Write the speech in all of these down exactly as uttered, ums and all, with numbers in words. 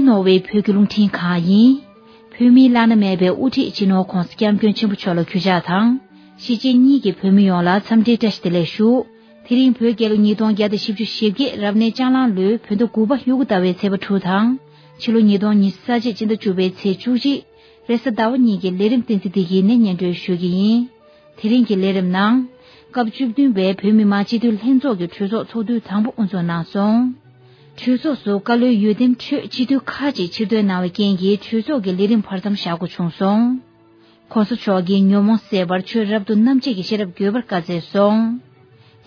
ནོར་ཝེ་བོད་ཀྱི་རླུང་འཕྲིན་ཁང་ཡིན། བོད་མིའི་བླ་ན་མེད་པའི་དབུ་ཁྲིད་སྤྱི་ནོར་༧གོང་ས་༧སྐྱབས་མགོན་ཆེན་པོ་མཆོག་ལ་གུས་ཕྱག་དང་། གཞིས་བྱེས་གཉིས་ཀྱི་བོད་མི་ཡོངས་ལ་འཚམས་འདྲིའི་བཀྲ་ཤིས་བདེ་ལེགས་ཞུ། དེ་རིང་བོད་རྒྱལ་ལོ་ཉིས་སྟོང་བརྒྱ་དང་བཞི་བཅུ་ཞེ་བརྒྱད་རབ་གནས་ལྕགས་གླང་ལོའི་བོད་ཟླ་དགུ་པ་དབྱར་ཁ་ཟླ་བའི་ཚེས་པ་དྲུག་དང་། ཕྱི་ལོ་ཉིས་སྟོང་ཉི་ཤུ་རྩ་གཅིག་སྤྱི་ཟླ་བཅུ་པའི་ཚེས་བཅུ་གཅིག་རེས་གཟའ་ཟླ་བ་ཉིན་གྱི་ལས་རིམ་བསྟན་འཛིན་བདེ་སྐྱིད་ནས་སྙན་སྒྲོན་ཞུ་གི་ཡིན། དེ་རིང་གི་ལས་རིམ་ནང་། སྐབས་བཅུ་བདུན་པའི་བོད་མི་མང་སྤྱི་འཐུས་ལྷན་ཚོགས་ཀྱི་གྲོས་ཚོགས་ཚོགས་དུས་དང་པོ་དབུ་འཛུགས་གནང་སོང་། གྲོས་ཚོགས་སུ་བཀའ་བློན་འོས་འདེམས་ཁྲོད་སྤྱི་འཐུས་ཁག་ཅིག་ཕྱིར་ཐོན་གནང་བའི་རྐྱེན་གྱིས་གྲོས་ཚོགས་ཀྱི་ལས་རིམ་བར་མཚམས་བཞག་དགོས་བྱུང་སོང་། ༸གོང་ས་མཆོག་གིས་ཉོན་མོངས་སེལ་བར་ཆོས་རབ་ཏུ་རྣམ་འབྱེད་ཀྱི་ཤེས་རབ་དགོས་པར་བཀའ་སྩལ་སོང་།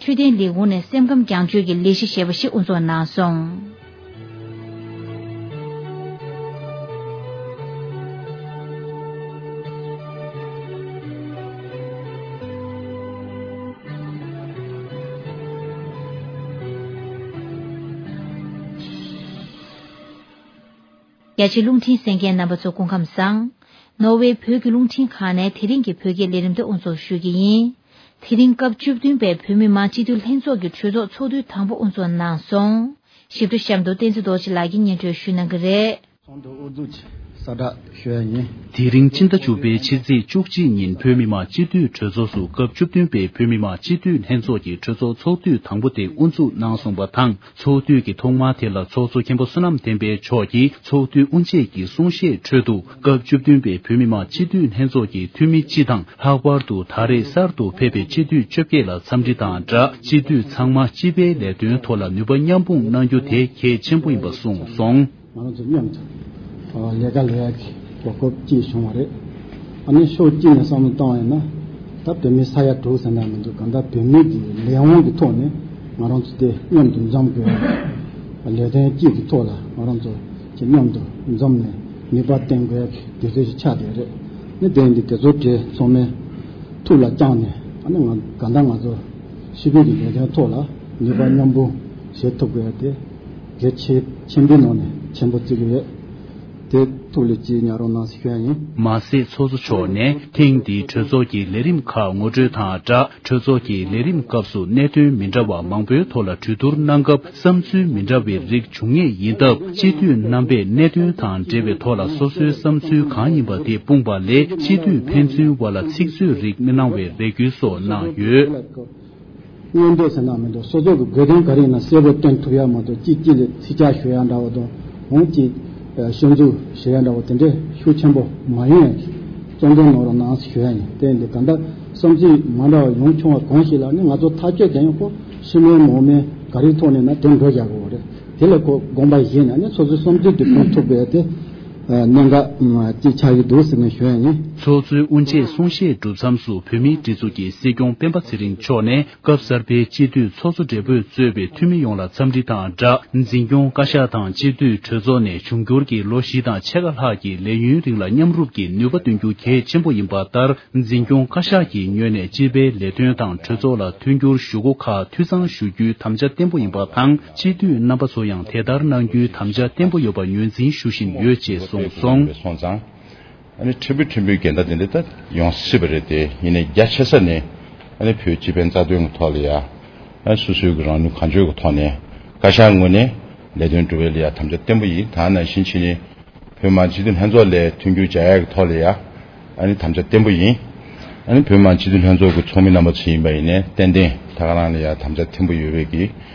འཕྲོད་བསྟེན་ལས་ཁུངས་ནས་སེམས་ཁམས་རྒྱང་སྐྱོད་ཀྱི་ལས་གཞི་ཞེས་པ་ཞིག་དབུ་འཛུགས་གནང་སོང་། རྒྱ་ཆེའི་རླུང་འཕྲིན་གསན་མཁན་རྣམ་པ་ཚོ་སྐུ་ཁམས་བཟང་། ནོར་ཝེ་བོད་ཀྱི་རླུང་འཕྲིན་ཁང་ནས་དེ་རིང་གི་བོད་སྐད་ལས་རིམ་དེ་དབུ་འཛུགས་ཞུ་གི་ཡིན། དེ་རིང་སྐབས་བཅུ་བདུན་པའི་བོད་མི་མང་སྤྱི་འཐུས་ལྷན་ཚོགས་ཀྱི་གྲོས་ཚོགས་ཚོགས་དུས་དང་པོ་དབུ་འཛུགས་གནང་སོང་། ཞིབ་ཕྲ་གཤམ་དུ་བསྟན་འཛིན་རྡོ་རྗེ་ལགས་ཀྱིས་སྙན་སྒྲོན་ཞུ་གནང་གི་རེད། ཚོགས་འདུ་དབུ་འཛུགས་ཀྱི་གསལ་བསྒྲགས་ཞུ་ཡ་ཡིན། དེ་རིང་སྤྱི་ཟླ་བཅུ་པའི་ཕྱི་ཚེས་བཅུ་གཅིག་ཉིན་བོད་མི་མང་སྤྱི་འཐུས་གྲོས་ཚོགས་སུ་སྐབས་བཅུ་བདུན་པའི་བོད་མི་མང་སྤྱི་འཐུས་ལྷན་ཚོགས་ཀྱི་གྲོས་ཚོགས་ཚོགས་དུས་དང་པོ་དེ་དབུ་འཛུགས་གནང་སོང་བ་དང་། ཚོགས་དུས་ཀྱི་ཐོག་མ་དེ་ལ་ཚོགས་གཙོ་མཁན་པོ་བསོད་ནམས་བསྟན་འཕེལ་མཆོག་གིས་ཚོགས་དུས་དབུ་འབྱེད་ཀྱི་གསུང་བཤད་ཁྲོད་དུ། སྐབས་བཅུ་བདུན་པའི་བོད་མི་མང་སྤྱི་འཐུས་ལྷན་ཚོགས་ཀྱི་འཐུས་མི་སྤྱི་དང་། ལྷག་པར་དུ་ད་རེས་གསར་དུ་ཕེབས་པའི་སྤྱི་འཐུས་བཅོ་བརྒྱད་ལ་འཚམས་འདྲི་དང་སྦྲགས། སྤྱི་འཐུས་ཚང་མ་སྤྱི་པའི་ལས་དོན་ཐོག་ལ་ནུས་པ་མཉམ་སྤུངས་གནང་རྒྱུ་དེ་གལ་ཆེན་པོ་ཡིན་པ་གསུངས་སོང་། ང་རང་ཚོ་མཉམ་དུ་ལས་ཀ་ལས་ཡག་གི་གོ་སྐབས་ཅིག་བྱུང་བ་རེད། ཨ་ནི་ཕྱོགས་གཅིག་ནས་བསམ་བློ་བཏང་བ་ཡིན་ན། ད་བོད་མི་ས་ཡ་དྲུག་ཟེར་ན་མི་འདུག་གང་ལྟར་བོད་མི་གི་ལས་དབང་གི་ཐོག་ནས་ང་རང་ཚོ་དེ་མཉམ་དུ་འཛོམས་དགོས་པ། ལས་དོན་གཅིག་གི་ཐོག་ལ་ང་རང་ཚོ་ཅིག་མཉམ་དུ་འཛོམས་ནས་ནུས་པ་བཏོན་དགོས་ཡག་གི་དུས་ཚོད་ཅིག་ཆགས་བསྡད་རེད། ནི་དེ་ཡིན་དུས་དེ་ཚོ་གྲས་ཚང་མས་ཐུགས་ལ་བཅངས་ནས། ཨ་ནི་ང་གང་ལྟར་ང་ཚོ་སྤྱི་པའི་གི་ལས་དོན་ཐོག་ལ་ནུས་པ་མཉམ་སྤུངས་བྱེད་ཐུབ་དགོས་ཡག་དེ་གལ་ཆེ་ཆེན་པོའི་ནང་ནས་ཆེན་པོ་བརྩི་གི་ཡོད། དེ་ཐུགས་ལ་ཅིག་ཉར་རོགས་གནང་ཞེས་ཞུ་ཡ་ཡིན། མ་ཟད་ཚོགས་གཙོ་མཆོག་ནས་ཐེངས་འདིའི་གྲོས་ཚོགས་ཀྱི་ལས་རིམ་ཁག་ངོ་སྤྲོད་དང་སྦྲགས། གྲོས་ཚོགས་ཀྱི་ལས་རིམ་སྐབས་སུ་གནད་དོན་མི་འདྲ་བ་མང་པོའི་ཐོག་ལ་གྲོས་བསྡུར་གནང་སྐབས། བསམ་ཚུལ་མི་འདྲ་བའི་རིགས་འབྱུང་ངེས་ཡིན་སྟབས། སྤྱི་འཐུས་རྣམ་པས་གནད་དོན་དང་འབྲེལ་བའི་ཐོག་ལ་སོ་སོའི་བསམ་ཚུལ་གང་ཡིན་པ་དེ་སྤུངས་པ་ལས། སྤྱི་འཐུས་ཕན་ཚུན་བར་ལ་ཚིག་མཛོད་རིགས་མི་གནང་བའི་རེ་སྐུལ་སོགས་གནང་ཡོད། མངོན་འདོད་ཟེར་ན་མི་འདུག་སོ་སོ་གི་དགོས་དོན་ག་རེ་ཡིན་ན་གསལ་པོ་སྟོན་ཐུབ་ཡ་མ་གཏོགས། གཅིག་གཅིག་ལ་ཚིག་ཆ་ཞུ་ཡ་འདྲ་བོ་དང་། འོང་གཅིག་ཤོད་འཛུགས་བྱེད་ཡ་འདྲ་བོ་དེ་འདྲའི་ཤུགས་ཆེན་པོ་མ་ཡོང་ཡ་གི་བརྩོན་འགྲུས་གནང་རོགས་གནང་ཞུ་ཡ་ཡིན། དེ་འདི་ག་འདྲ་བསམ་ཚུལ་མ་འདྲ་བ་ཡོང་བྱུང་བ་གང་ཞིག་ལ་ནི་ང་ཚོ་ཐག་གཅོད་གང་ཡང་ཁོ་ཤི་མིན་མང་མིན་ག་རེའི་ཐོག་ནས་ན་དེ་འགྲོ་བཞག་དགོས་པ་རེད། དེ་ལ་ཁོ་དགོངས་པ་བཞེས་ནས་ནི་སོ་སོའི་བསམ་ཚུལ་དེ་སྟོན་ཐུབ་དགོས་ཡ་དེ་གནད་འགག་ཅིག་ཆགས་ཀྱི་འདུག་ཟེར་ནས་ཞུ་ཡ་ཡིན། ཚོགས་གཙོའི་དབུ་འབྱེད་གསུང་བཤད་གྲུབ་མཚམས་སུ་བོད་མིའི་སྒྲིག་འཛུགས་ཀྱི་སྲིད་སྐྱོང་སྤེན་པ་ཚེ་རིང་མཆོག་ནས། སྐབས་གསར་པའི་སྤྱི་འཐུས་ཚོགས་གཙོ་སྦྲེལ་པོས་གཙོས་པའི་འཐུས་མི་ཡོངས་ལ་འཚམས་འདྲི་དང་སྦྲགས། འཛིན་སྐྱོང་བཀའ་ཤག་དང་སྤྱི་འཐུས་གྲོས་ཚོགས་ནས་འབྱུང་འགྱུར་གྱི་ལོ་བཞི་དང་ཕྱེད་ཀ་ལྷག་གི་ལས་ཡུན་རིང་ལ་མཉམ་རུབ་ཀྱིས་ནུས་པ་འདོན་རྒྱུ་གལ་ཆེན་པོ་ཡིན་པ་ལྟར། འཛིན་སྐྱོང་བཀའ་ཤག་གི་ངོས་ནས་སྤྱི་པའི་ལས་དོན་དང་གྲོས་ཚོགས་ལ་མཐུན་འགྱུར་ཞུ་སྒོ་ཁག་འཐུས་ཚང་ཞུ་རྒྱུའི་དམ་བཅའ་བརྟན་པོ་ཡིན་པ་དང་། སྤྱི་འཐུས་རྣམ་པ་ཚོ་ཡང་དེ་ལྟར་གནང་རྒྱུའི་དམ་བཅའ་བརྟན་པོ་ཡོད་པ་ངོས་འཛིན་ཞུ་བཞིན་ཡོད་ཅེས་གསུངས་སོང་། སོང་ཙང་། ཨ་ནི་ཕྲན་བུ་ཕྲན་བུའི་འགལ་ཟླ་དེ་འདྲ་ད་ཡོང་སྲིད་པ་རེད་དེ། ཡིན་ནའི་རྒྱ་ཆེ་ས་ནས་ཨ་ནི་བོད་སྤྱི་ཕན་རྩ་དོན་གྱི་ཐོག་ལ་ཡ། ཨ་སོ་སོའི་གི་རང་ནུས་གང་ལྕོགས་ཀྱི་ཐོག་ནས་བཀའ་ཤག་ངོས་ནས་ལས་དོན་སྒྲུབ་པའི་ལ་ཡ་དམ་བཅའ་བརྟན་པོ་ཡིན། ད་ནང་བཞིན་ཕྱི་ནས་བོད་མི་མང་སྤྱི་འཐུས་ལྷན་ཚོགས་ལ་མཐུན་འགྱུར་བྱ་ཡག་གི་ཐོག་ལ་ཡ་ཨ་ནི་དམ་བཅའ་བརྟན་པོ་ཡིན། ཨ་ནི་བོད་མི་མང་སྤྱི་འཐུས་ལྷན་ཚོགས་ཀྱི་ཚོགས་མི་རྣམ་པ་ཚོ་ཡིན་པ་ཡིན་ནའི་ཏན་ཏན་ད་ག་རང་ལ་ཡ་དམ་བཅའ་བརྟན་པོ་ཡོད་པའི་གི་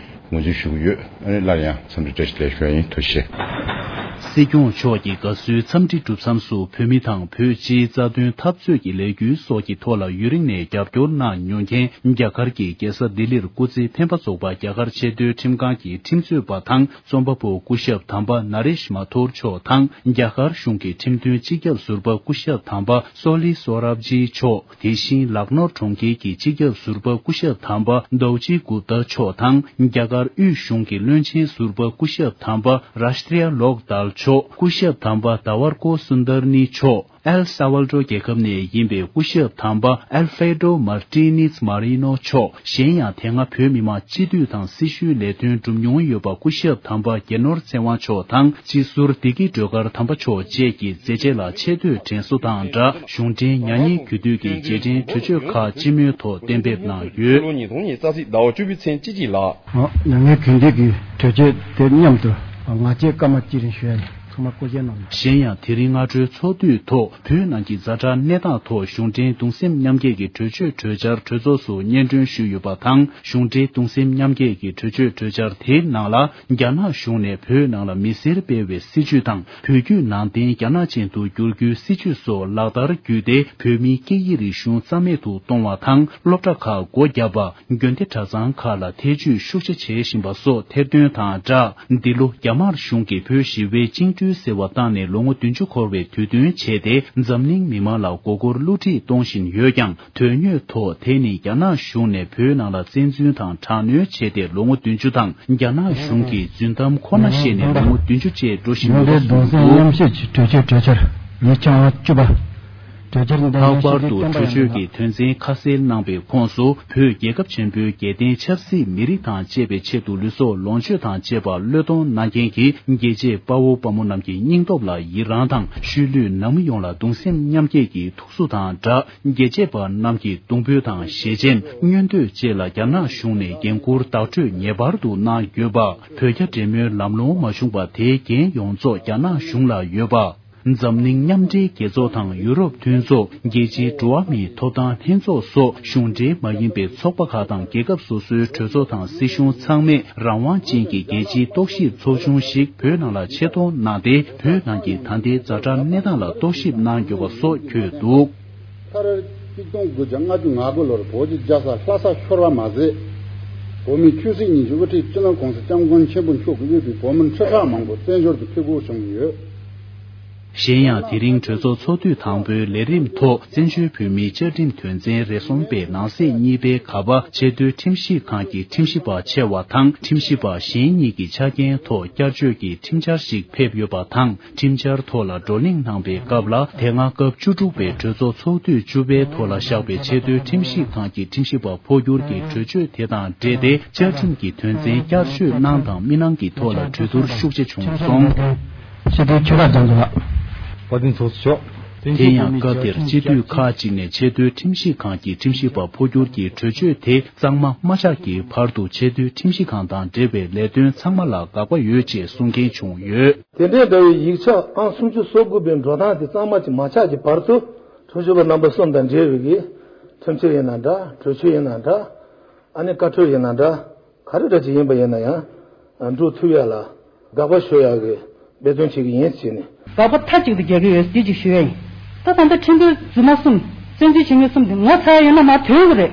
ངོས་འཛིན་ཞུ་གི་ཡོད། ཨ་ནི་སླར་ཡང་འཚམས་འདྲི་བཀྲ་ཤིས་བདེ་ལེགས་ཞུ་ཡ་ཡིན། ཐུགས་རྗེ་ཆེ། སྲིད་སྐྱོང་མཆོག་གི་དགའ་བསུའི་འཚམས་འདྲི་གྲུབ་མཚམས་སུ་བོད་མི་དང་བོད་སྤྱིའི་རྩ་དོན་འཐབ་རྩོད་ཀྱི་ལས་འགུལ་སོགས་ཀྱི་ཐོག་ལ་ཡུན་རིང་ནས་རྒྱབ་སྐྱོར་གནང་མྱོང་མཁན་རྒྱ་གར་གྱི་རྒྱལ་ས་ལྡི་ལིར་སྐུ་ཚེ་འཕེན་པ་རྫོགས་པ་རྒྱ་གར་ཆེས་མཐོའི་ཁྲིམས་ཁང་གི་ཁྲིམས་རྩོད་པ་དང་རྩོམ་པ་པོ་སྐུ་ཞབས་དམ་པ་ན་རེཤ་མ་ཐོར་མཆོག་དང་། རྒྱ་གར་གཞུང་གི་ཁྲིམས་དོན་སྤྱི་ཁྱབ་ཟུར་པ་སྐུ་ཞབས་དམ་པ་སོ་ལི་སོ་རབ་ཇི་མཆོག་དེ་བཞིན་ལག་ནོར་གྲོང་ཁྱེར་གྱི་སྤྱི་ཁྱབ་ཟུར་པ་སྐུ་ཞབས་དམ་པ་དོའུ་ཅི་གུབ་ཏཱ་མཆོག་དང་། རྒྱ་གར་དབུས་གཞུང་གི་བློན་ཆེན་ཟུར་པ་སྐུ་ཞབས་དམ་པ་རཱཤ་ཏྲི་ཡ་ལོག་དལ་མཆོག་སྐུ་ཞབས་དམ་པ་དཱ་ཝར་ཀོ་སུན་དར་ནི་མཆོག་ཨེལ་ས་ཝལ་ཏྲོ་རྒྱལ་ཁབ་ནས་ཡིན་པའི་སྐུ་ཞབས་དམ་པ་ཨལ་ཧྥེ་ཌོ་མར་ཏི་ནིས་མ་རི་ནོ་མཆོག་གཞན་ཡང་དེ་སྔ་བོད་མི་མང་སྤྱི་འཐུས་དང་སྲི་ཞུའི་ལས་དོན་བསྒྲུབས་མྱོང་ཡོད་པ་སྐུ་ཞབས་དམ་པ་རྒྱལ་ནོར་ཚེ་དབང་མཆོག་དང་། སྤྱི་ཟུར་བདེ་སྐྱིད་སྒྲོལ་དཀར་དམ་པ་མཆོག་བཅས་ཀྱི་མཛད་རྗེས་ལ་ཆེ་བསྟོད་དྲན་གསོ་དང་སྦྲགས། གཞུང་འབྲེལ་མྱ་ངན་གུས་འདུད་ཀྱི་རྗེས་དྲན་གྲོས་ཆོད་ཁག་སྤྱི་མོས་ཐོག་གཏན་འབེབས་གནང་ཡོད། ལོ་ཉིས་སྟོང་ཉི་ཤུ་རྩ་གཅིག་ཟླ་བ་བཅུ་པའི་ཚེས་གཅིག་གཅིག་ལ། མྱ་ངན་གུས་འདུད་ཀྱི་གྲོས་ཆོད་དེ་མཉམ་དུ་ང་བཅས་སྐར་མ་གཅིག་རིང་ཞུ་ཡ་ཡིན། མ་བསྐོ་བཞག་གནང་། གཞན་ཡང་དེ་རིང་སྔ་དྲོའི་ཚོགས་དུས་ཐོག་བོད་ནང་གི་ཛ་དྲག་གནས་སྟངས་ཐོག་གཞུང་འབྲེལ་གདུང་སེམས་མཉམ་སྐྱེད་ཀྱི་གྲོས་ཆོད་གྲོས་འཆར་གྲོས་ཚོགས་སུ་སྙན་སྒྲོན་ཞུས་ཡོད་པ་དང་། གཞུང་འབྲེལ་གདུང་སེམས་མཉམ་སྐྱེད་ཀྱི་གྲོས་ཆོད་གྲོས་འཆར་དེའི་ནང་ལ། རྒྱ་ནག་གཞུང་ནས་བོད་ནང་ལ་མི་སེར་སྤེལ་བའི་སྲིད་བྱུས་དང་། བོད་བརྒྱུད་ནང་བསྟན་རྒྱ་ནག་ཅན་དུ་བསྒྱུར་རྒྱུའི་སྲིད་བྱུས་སོགས་ལག་བསྟར་བརྒྱུད་དེ། བོད་མིའི་སྐད་ཡིག་རིག་གཞུང་རྩ་མེད་དུ་གཏོང་བ་དང་། སློབ་གྲྭ་ཁག་སྒོ་བརྒྱབ་པ། དགོན་སྡེ་གྲྭ་ཚང་ཁག་ལ་ཐེ་ཇུས་ཤུགས་ཆེ་བྱེད་བཞིན་པ་སོགས་ཐེར་འདོན་དང་སྦྲགས། འདི་ལོ་རྒྱ་དམར་གཞུང་གིས་བོད་ཞི་བའི་བཅིངས་འགྲོལ་ཟེར་བ་བཏང་ནས་ལོ་ངོ་བདུན་ཅུ་འཁོར་བའི་དུས་སྟོན་བྱས་ཏེ། འཛམ་གླིང་མི་མང་ལ་མགོ་སྐོར་བསླུ་བྲིད་གཏོང་བཞིན་ཡོད་ཀྱང་། དོན་དངོས་ཐོག་དེ་ནི་རྒྱ་ནག་གཞུང་ནས་བོད་ནང་ལ་བཙན་འཛུལ་དང་དྲག་གནོན་བྱས་ཏེ་ལོ་ངོ་བདུན་ཅུ་དང་། རྒྱ་ནག་གཞུང་གིས་རྫུན་གཏམ་ཁོ་ན་བཤད་ནས་ལོ་ངོ་བདུན་ཅུ་བཅས་འགྲོ་བཞིན་ཡོད་པ་གསུངས་འདུག། གཞུང་འབྲེལ་གདུང་སེམས་མཉམ་སྐྱེད་ཀྱི་གྲོས་ཆོད་གྲོས་འཆར་ཉིས་སྟོང་བཅུ་པ། གྲོས་འཆར་འདི་ལྷག་པར་དུ་གྲོས་ཆོད་ཀྱི་དོན་ཚན་ཁ་གསལ་གནང་པའི་ཁོངས་སུ། བོད་རྒྱལ་ཁབ་ཆེན་པོའི་རྒྱལ་བསྟན་ཆབ་སྲིད་མི་རིགས་དང་བཅས་པའི་ཆེད་དུ་ལུས་སྲོག་ལོངས་སྤྱོད་དང་བཅས་པ་བློས་གཏོང་གནང་མཁན་གྱི་རྒྱལ་གཅེས་དཔའ་བོ་དཔའ་མོ་རྣམས་ཀྱི་སྙིང་སྟོབས་ལ་ཡི་རངས་དང་། ཤུལ་ལུས་ནང་མི་ཡོངས་ལ་གདུང་སེམས་མཉམ་སྐྱེད་ཀྱི་ཐུགས་གསོ་དང་སྦྲགས། རྒྱལ་གཅེས་པ་རྣམས་ཀྱི་གདུང་འབོད་དང་ཞལ་ཆེམས། མངོན་འདོད་བཅས་ལ་རྒྱ་ནག་གཞུང་ནས་འགན་འཁུར་བདག་སྤྲོད་ངེས་པར་དུ་གནང་དགོས་པ། བོད་རྒྱ་འབྲེལ་མོལ་ལམ་ལྷོང་མ་བྱུང་བ་དེའི་འགན་ཡོངས་རྫོགས་རྒྱ་ནག་གཞུང་ལ་ཡོད་པ། འཛམ་གླིང་མཉམ་འབྲེལ་རྒྱལ་ཚོགས་དང་ཡུ་རོབ་མཐུན་ཚོགས། རྒྱལ་སྤྱིའི་འགྲོ་བ་མིའི་ཐོབ་ཐང་ལྷན་ཚོགས་སོགས་གཞུང་འབྲེལ་མ་ཡིན་པའི་ཚོགས་པ་ཁག་དང་རྒྱལ་ཁབ་སོ་སོའི་གྲོས་ཚོགས་དང་སྲིད་གཞུང་ཚང་མས་རང་དབང་ཅན་གྱི་རྒྱལ་སྤྱིའི་རྟོག་ཞིབ་ཚོགས་ཆུང་ཞིག་བོད་ནང་ལ་ཆེད་གཏོང་གནང་སྟེ། བོད་ནང་གི་ད་ལྟའི་ཛ་དྲག་གནས་སྟངས་ལ་རྟོག་ཞིབ་གནང་དགོས་པ་སོགས་འཁོད་འདུག། ཕར་གཅིག་སྟོང་དགུ་བརྒྱ་ལྔ་བཅུ་ང་དགུ་ལོར་བོད་ཀྱི་རྒྱལ་ས་ལྷ་ས་ཤོར་བ་མ་ཟད། བོད་མིའི་ཆོས་སྲིད་གཉིས་ཀྱི་དབུ་ཁྲིད་སྤྱི་ནོར་༸གོང་ས་༸སྐྱབས་མགོན་ཆེན་པོ་མཆོག་གིས་དབུས་པའི་བོད་མི་ཁྲི་ཕྲག་མང་པོ་བཙན་བྱོལ་དུ་ཕེབས་དགོས་བྱུང་ཡོད། གཞན་ཡང་དེ་རིང་གྲོས་ཚོགས་ཚོགས་དུས་དང་པོའི་ལས་རིམ་ཐོག་བཙན་བྱོལ་བོད་མིའི་བཅའ་ཁྲིམས་དོན་ཚན་རེ་གསུམ་པའི་ནང་གསེས་གཉིས་པའི་ཁ་པ་ཆེས་མཐོའི་ཁྲིམས་ཞིབ་ཁང་གི་ཁྲིམས་ཞིབ་པ་ཆེ་བ་དང་ཁྲིམས་ཞིབ་པ་གཞན་གཉིས་ཀྱི་ཆ་རྐྱེན་ཐོག་བསྐྱར་བཅོས་ཀྱི་ཁྲིམས་འཆར་ཞིག་ཕེབས་ཡོད་པ་དང་། ཁྲིམས་འཆར་ཐོག་ལ་བགྲོ་གླེང་གནང་པའི་སྐབས་ལ། དེ་སྔ་སྐབས་བཅུ་དྲུག་པའི་གྲོས་ཚོགས་ཚོགས་དུས་བཅུ་པའི་ཐོག་ལ་བཞག་པའི་ཆེས་མཐོའི་ཁྲིམས་ཞིབ་ཁང་གི་ཁྲིམས་ཞིབ་པ་འཕོ་འགྱུར་གྱི་གྲོས་ཆོད་དེ་དང་འབྲེལ་ཏེ། བཅའ་ཁྲིམས་ཀྱི་དོན་ཚན་བསྐྱར་བཅོས་གནང་དང་མི་གནང་གི་ཐོག་ལ་གྲོས་བསྡུར་ཤུགས་ཆེ་བྱུང་སོང་། ཕྱི་དྲིལ་ཆོས་གྲགས་རྒྱ་མཚོ་ལགས། བཀའ་དྲིན་ཚོགས་གཙོ་མཆོག་དེ་ཡང་སྐབས་དེར་སྤྱི་འཐུས་ཁག་ཅིག་ནས་ཆེས་མཐོའི་ཁྲིམས་ཞིབ་ཁང་གི་ཁྲིམས་ཞིབ་པ་འཕོ་འགྱུར་གྱི་གྲོས་ཆོད་དེ་གཙང་མ་མ་ཆགས་ཀྱི་བར་དུ་ཆེས་མཐོའི་ཁྲིམས་ཞིབ་ཁང་དང་འབྲེལ་བའི་ལས་དོན་ཚང་མ་ལ་དགག་པ་ཡོད་ཅེས་གསུང་མཁན་བྱུང་ཡོད། དེ་འདྲའི་འདྲ་བའི་ཡིག་ཆ་ཨང་སུམ་ཅུ་སོ་དགུ་པའི་འགྲོ་སྟངས་དེ་གཙང་མ་ཅིག་མ་ཆགས་ཀྱི་བར་དུ་ཁྲིམས་ཞིབ་པ་རྣམ་པ་གསུམ་དང་འབྲེལ་བའི་གི་ཁྲིམས་ཆད་ཡིན་ན་འདྲ། གྲོས་ཆོད་ཡིན་ན་འདྲ། ཨ་ནི་བཀའ་འཁྲོལ་ཡིན་ན་འདྲ། ག་རེ་འདྲ་ཅིག་ཡིན་པ་ཡིན་ན་ཡང་འགྲོ་ཐུབ་ཡ་ལ་དགག་པ་ཞུ་ཡ་གི་འབད་བརྩོན་བྱེད་ཀྱི་ཡིན་ཟེར་ནས། དགག་པ་མཐའ་གཅིག་ཏུ་རྒྱག་གི་ཡོད་འདི་ཅིག་ཞུ་ཡ་ཡིན། ད་ད་ལྟ་ཁྲིམས་དཔོན་རྫུན་མ་གསུམ་བཙན་འཛུལ་བྱེད་མཁན་གསུམ་དེ་ངོ་ཚ་ཡ་ཡོད་ན་མར་ཐོན་དགོས་རེད།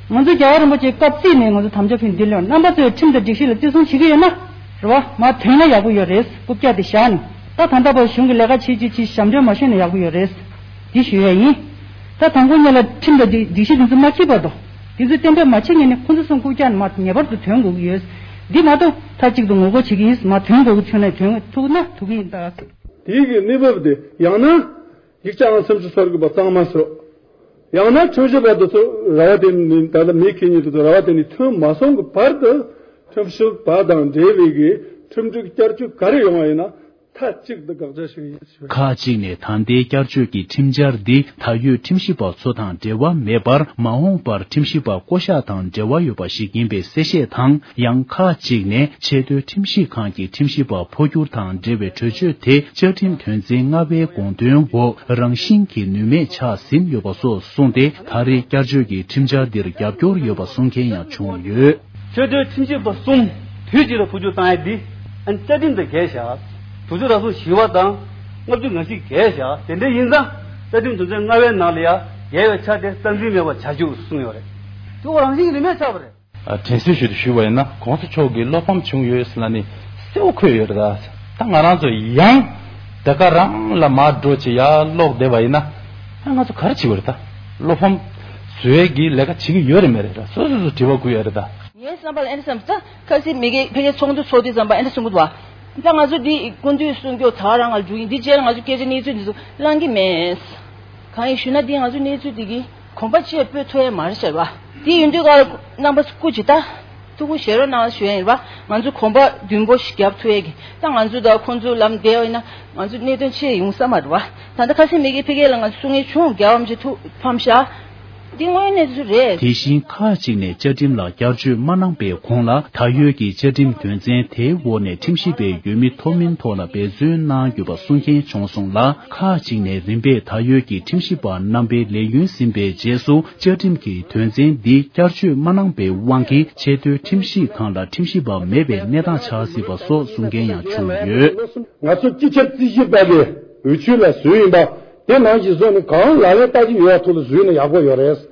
ང་ཚོ་རྒྱལ་བ་རིན་པོ་ཆེའི་སྐབས་རྩིས་ནས་ང་ཚོ་དམ་བཅའ་ཕུལ་འདི་ལོན་རྣམ་པ་ཚོས་ཁྲིམས་དང་སྒྲིག་གཞི་ལ་བརྩི་སྲུང་བྱེད་ཀྱི་ཡོད་ན། རེད་བ། མར་ཐོན་ན་ཡག་པོ་ཡོད་རེད། རྐུབ་བཀྱག་དེ་བཞག་ནས། ད་ད་ལྟ་བར་གཞུང་གི་ལས་ཀ་བྱེད་ཀྱི་ཅིག་ཞབས་འདྲེན་མ་ཤོར་ན་ཡག་པོ་ཡོད་རེད། འདི་ཞུ་ཡ་ཡིན། ད་དང་པོ་ཉིད་ལ་ཁྲིམས་དང་སྒྲིག་སྒྲིག་གཞི་འདི་ཚོ་མ་འཁྱེར་བར་དུ། འདི་ཚོ་གཏན་འབེབས་མ་བྱེད་ཉིན་ནས་ཁོང་ཚོ་གསུམ་རྐུབ་བཀྱག་ནས་མར་ངེས་པར་དུ་ཐོན་དགོས་ཀྱི་ཡོད། འདི་མ་གཏོགས་མཐའ་གཅིག་ཏུ་ངོ་རྒོལ་བྱེད་ཀྱི་ཡིན། མར་ཐོན་དགོས་ཀྱི་ཐོན་ནས་ཐོན་ཐུབ་ན་ཐུབ་ཀྱི་ཡིན་ད། དེའི་གི་གནས་བབ་དེ་ཡང་ན། ཡིག་ཆ་ཨང་སུམ་ཅུ་སོ་དགུ་པ་གཙང་མ་བཟོ། ཡང་ན་ཁྲིམས་ཞིབ་པ་དེ་ཚོ་ར་བ་དེ་ནས་ད་ལྟ་མི་ཁེ་ཉིན་དེ་ཚོ་ར་བ་དེ་ནས་ཐོན་མ་སོང་གི་བར་དུ་ཁྲིམས་ཞིབ་པ་དང་འབྲེལ་བའི་གི་ཁྲིམས་སྒྲིག་བསྐྱར་བཅོས་ག་རེ་ཡོང་བ་ཡིན་ན་མཐའ་གཅིག་ཏུ་དགག་བྱ་ཞིག་ཡིན་ཞུ། ཁག་ཅིག་ནས་ད་ལྟའི་བསྐྱར་བཅོས་ཀྱི་ཁྲིམས་འཆར་འདི་ད་ཡོད་ཁྲིམས་ཞིབ་པ་ཚོ་དང་འབྲེལ་བ་མེད་པར་མ་འོངས་པར་ཁྲིམས་ཞིབ་པ་བསྐོ་གཞག་དང་འབྲེལ་བ་ཡོད་པ་ཞིག་ཡིན་པའི་གསལ་བཤད་དང་། ཡང་ཁག་ཅིག་ནས་ཆེས་མཐོའི་ཁྲིམས་ཞིབ་ཁང་གི་ཁྲིམས་ཞིབ་པ་འཕོ་འགྱུར་དང་འབྲེལ་བའི་གྲོས་ཆོད་དེ་བཅའ་ཁྲིམས་དོན་ཚན་ལྔ་པའི་དགོངས་དོན་འོག་རང་བཞིན་གྱིས་ནུས་མེད་ཆགས་ཟིན་ཡོད་པ་སོགས་གསུངས་ཏེ། ད་རེས་བསྐྱར་བཅོས་ཀྱི་ཁྲིམས་འཆར་འདིར་རྒྱབ་སྐྱོར་ཡོད་པ་གསུང་མཁན་ཡང་བྱུང་ཡོད། ཆེས་མཐོའི་ཁྲིམས་ཞིབ་པ་གསུམ་དུས་གཅིག་ལ་འཕོ་འགྱུར་བཏང་ཡ་འདི་ཨ་ནི་རྩ་ཁྲིམས་དང་འགལ་བཞག་དུས་ཚོད་རག་སོང་བཞི་པ་དང་ལྔ་བཅུ་ང་བཞི་འགལ་བཞག་དེ་འདྲ་ཡིན་ཙང་རྩ་ཁྲིམས་དོན་ཚན་ལྔ་པའི་ནང་ལ་ཡ་འགལ་བའི་ཆ་དེ་རྩ་འཛིན་མེད་པ་བྱ་རྒྱུ་གསུངས་ཡོད་རེད། དེ་འོ་རང་བཞིན་གྱི་ནུས་མེད་ཆགས་པ་རེད། དྲན་གསོ་ཞུ་དུ་ཞུས་པ་ཡིན་ན་གོང་ས་མཆོག་གིས་བློ་ཕམ་བྱུང་ཡོད་ཟེར་ལ་ནི་གསལ་བོ་འཁོད་ཡོད་རེད་ད། ད་ང་རང་ཚོ་ཡང་དེ་ག་རང་ལ་མར་འགྲོ་ཅི་ཡ་ལོག་བསྡད་པ་ཡིན་ན་ཨ་ང་ཚོ་ག་རེ་བྱེད་དགོས་རེད་ད། བློ་ཕམ་བཟོས་གི་ལས་ཀ་བྱེད་ཀྱི་ཡོད་རེད་མེད་རེད་ད། སོ་སོ་སོ་དྲི་བ་བཀོད་ཡོད་རེད་ད། ངའི་བསམ་པ་ལ་ཨེ་འདྲ་བསམ་ད་ཁ་སང་མི་དགེ་ཕ་གིའི་ཚོགས་འདུ་ཚོགས་དུས་ཙམ་པ་ཨེ་འདྲ་གསུང་གི་འདུག་བ། ད་ང་ཚོ་འདི་སྐུ་མདུན་གསུང་སྐྱོ་ད་རང་ང་འགྲོ་ཡིན་འདི་རྗེས་ལ་ང་ཚོ་སྐད་ཆ་གནས་ཚུལ་འདི་ཚོ་བླང་གི་མེད། གང་ཡིན་ཞུ་ན་འདི་ང་ཚོ་གནས་ཚུལ་འདི་གི་གོམ་པ་ཕྱིར་སྤོས་ཐུབ་ཡ་མ་རེད་ཟེར་བ། དེ་ཡིན་དུས་ཀ་རྣམ་པ་སྐུ་ཅི་ལྟ། ཐུགས་ཁུར་བཞེས་རོགས་གནང་ཞུ་ཡ་ཡིན་རེད་བ། ང་ཚོ་གོམ་པ་མདུན་སྤོ་ཞིག་རྒྱབ་ཐུབ་ཡ་གི་ད་ང་ཚོ་དང་ཁོང་ཚོ་ལམ་བདེ་བ་ཡིན་ན་ང་ཚོ་གནད་དོན་ཆེ་ཡོང་ས་མ་རེད་བ། ད་ལྟ་ཁ་སང་མི་དགེ་ཕ་གི་ལ་ང་ཚོ་གསུང་ཡ་བྱུང་རྒྱལ་བ་རིན་པོ་ཆེ་ཐུགས་ཕམ་ཤག་དེ་དངོས་གནས་སུ་རེད། དེ་བཞིན་ཁག་ཅིག་ནས་བཅའ་ཁྲིམས་ལ་བསྐྱར་བཅོས་མ་གནང་པའི་གོང་ལ་ད་ཡོད་ཀྱི་བཅའ་ཁྲིམས་དོན་ཚན་དེའི་འོག་ནས་ཁྲིམས་ཞིབ་པའི་འོས་མི་མཐོ་དམན་ཐོག་ལ་འབད་བརྩོན་གནང་ཡོད་པ་གསུང་མཁན་བྱུང་སོང་ལ། ཁག་ཅིག་ནས་རིམ་པས་ད་ཡོད་ཀྱི་ཁྲིམས་ཞིབ་པ་རྣམ་པའི་ལས་ཡུན་ཟིན་པའི་རྗེས་སུ་བཅའ་ཁྲིམས་ཀྱི་དོན་ཚན་འདི་བསྐྱར་བཅོས་མ་གནང་པའི་དབང་གིས་ཆེས་མཐོའི་ཁྲིམས་ཞིབ་ཁང་ལ་ཁྲིམས་ཞིབ་པ་མེད་པའི་གནས་སྟངས་ཆགས་སྲིད་པ་སོགས་གསུང་མཁན་ཡང་བྱུང་ཡོད། ང་ཚོ་སྤྱི་ཁྱབ་རྩིས་ཞིབ་པ་གི་འོས་ཆོས་ལ་བཟོས་ཡིན་པ། དེ་ནང་བཞིན་བཟོས་ནས་གང་ལག་ལེན་བསྟར་གྱི་ཡོད་པ་ཐོག་ལ་བཟོས་ན་ཡག་པོ་ཡོད་རེད།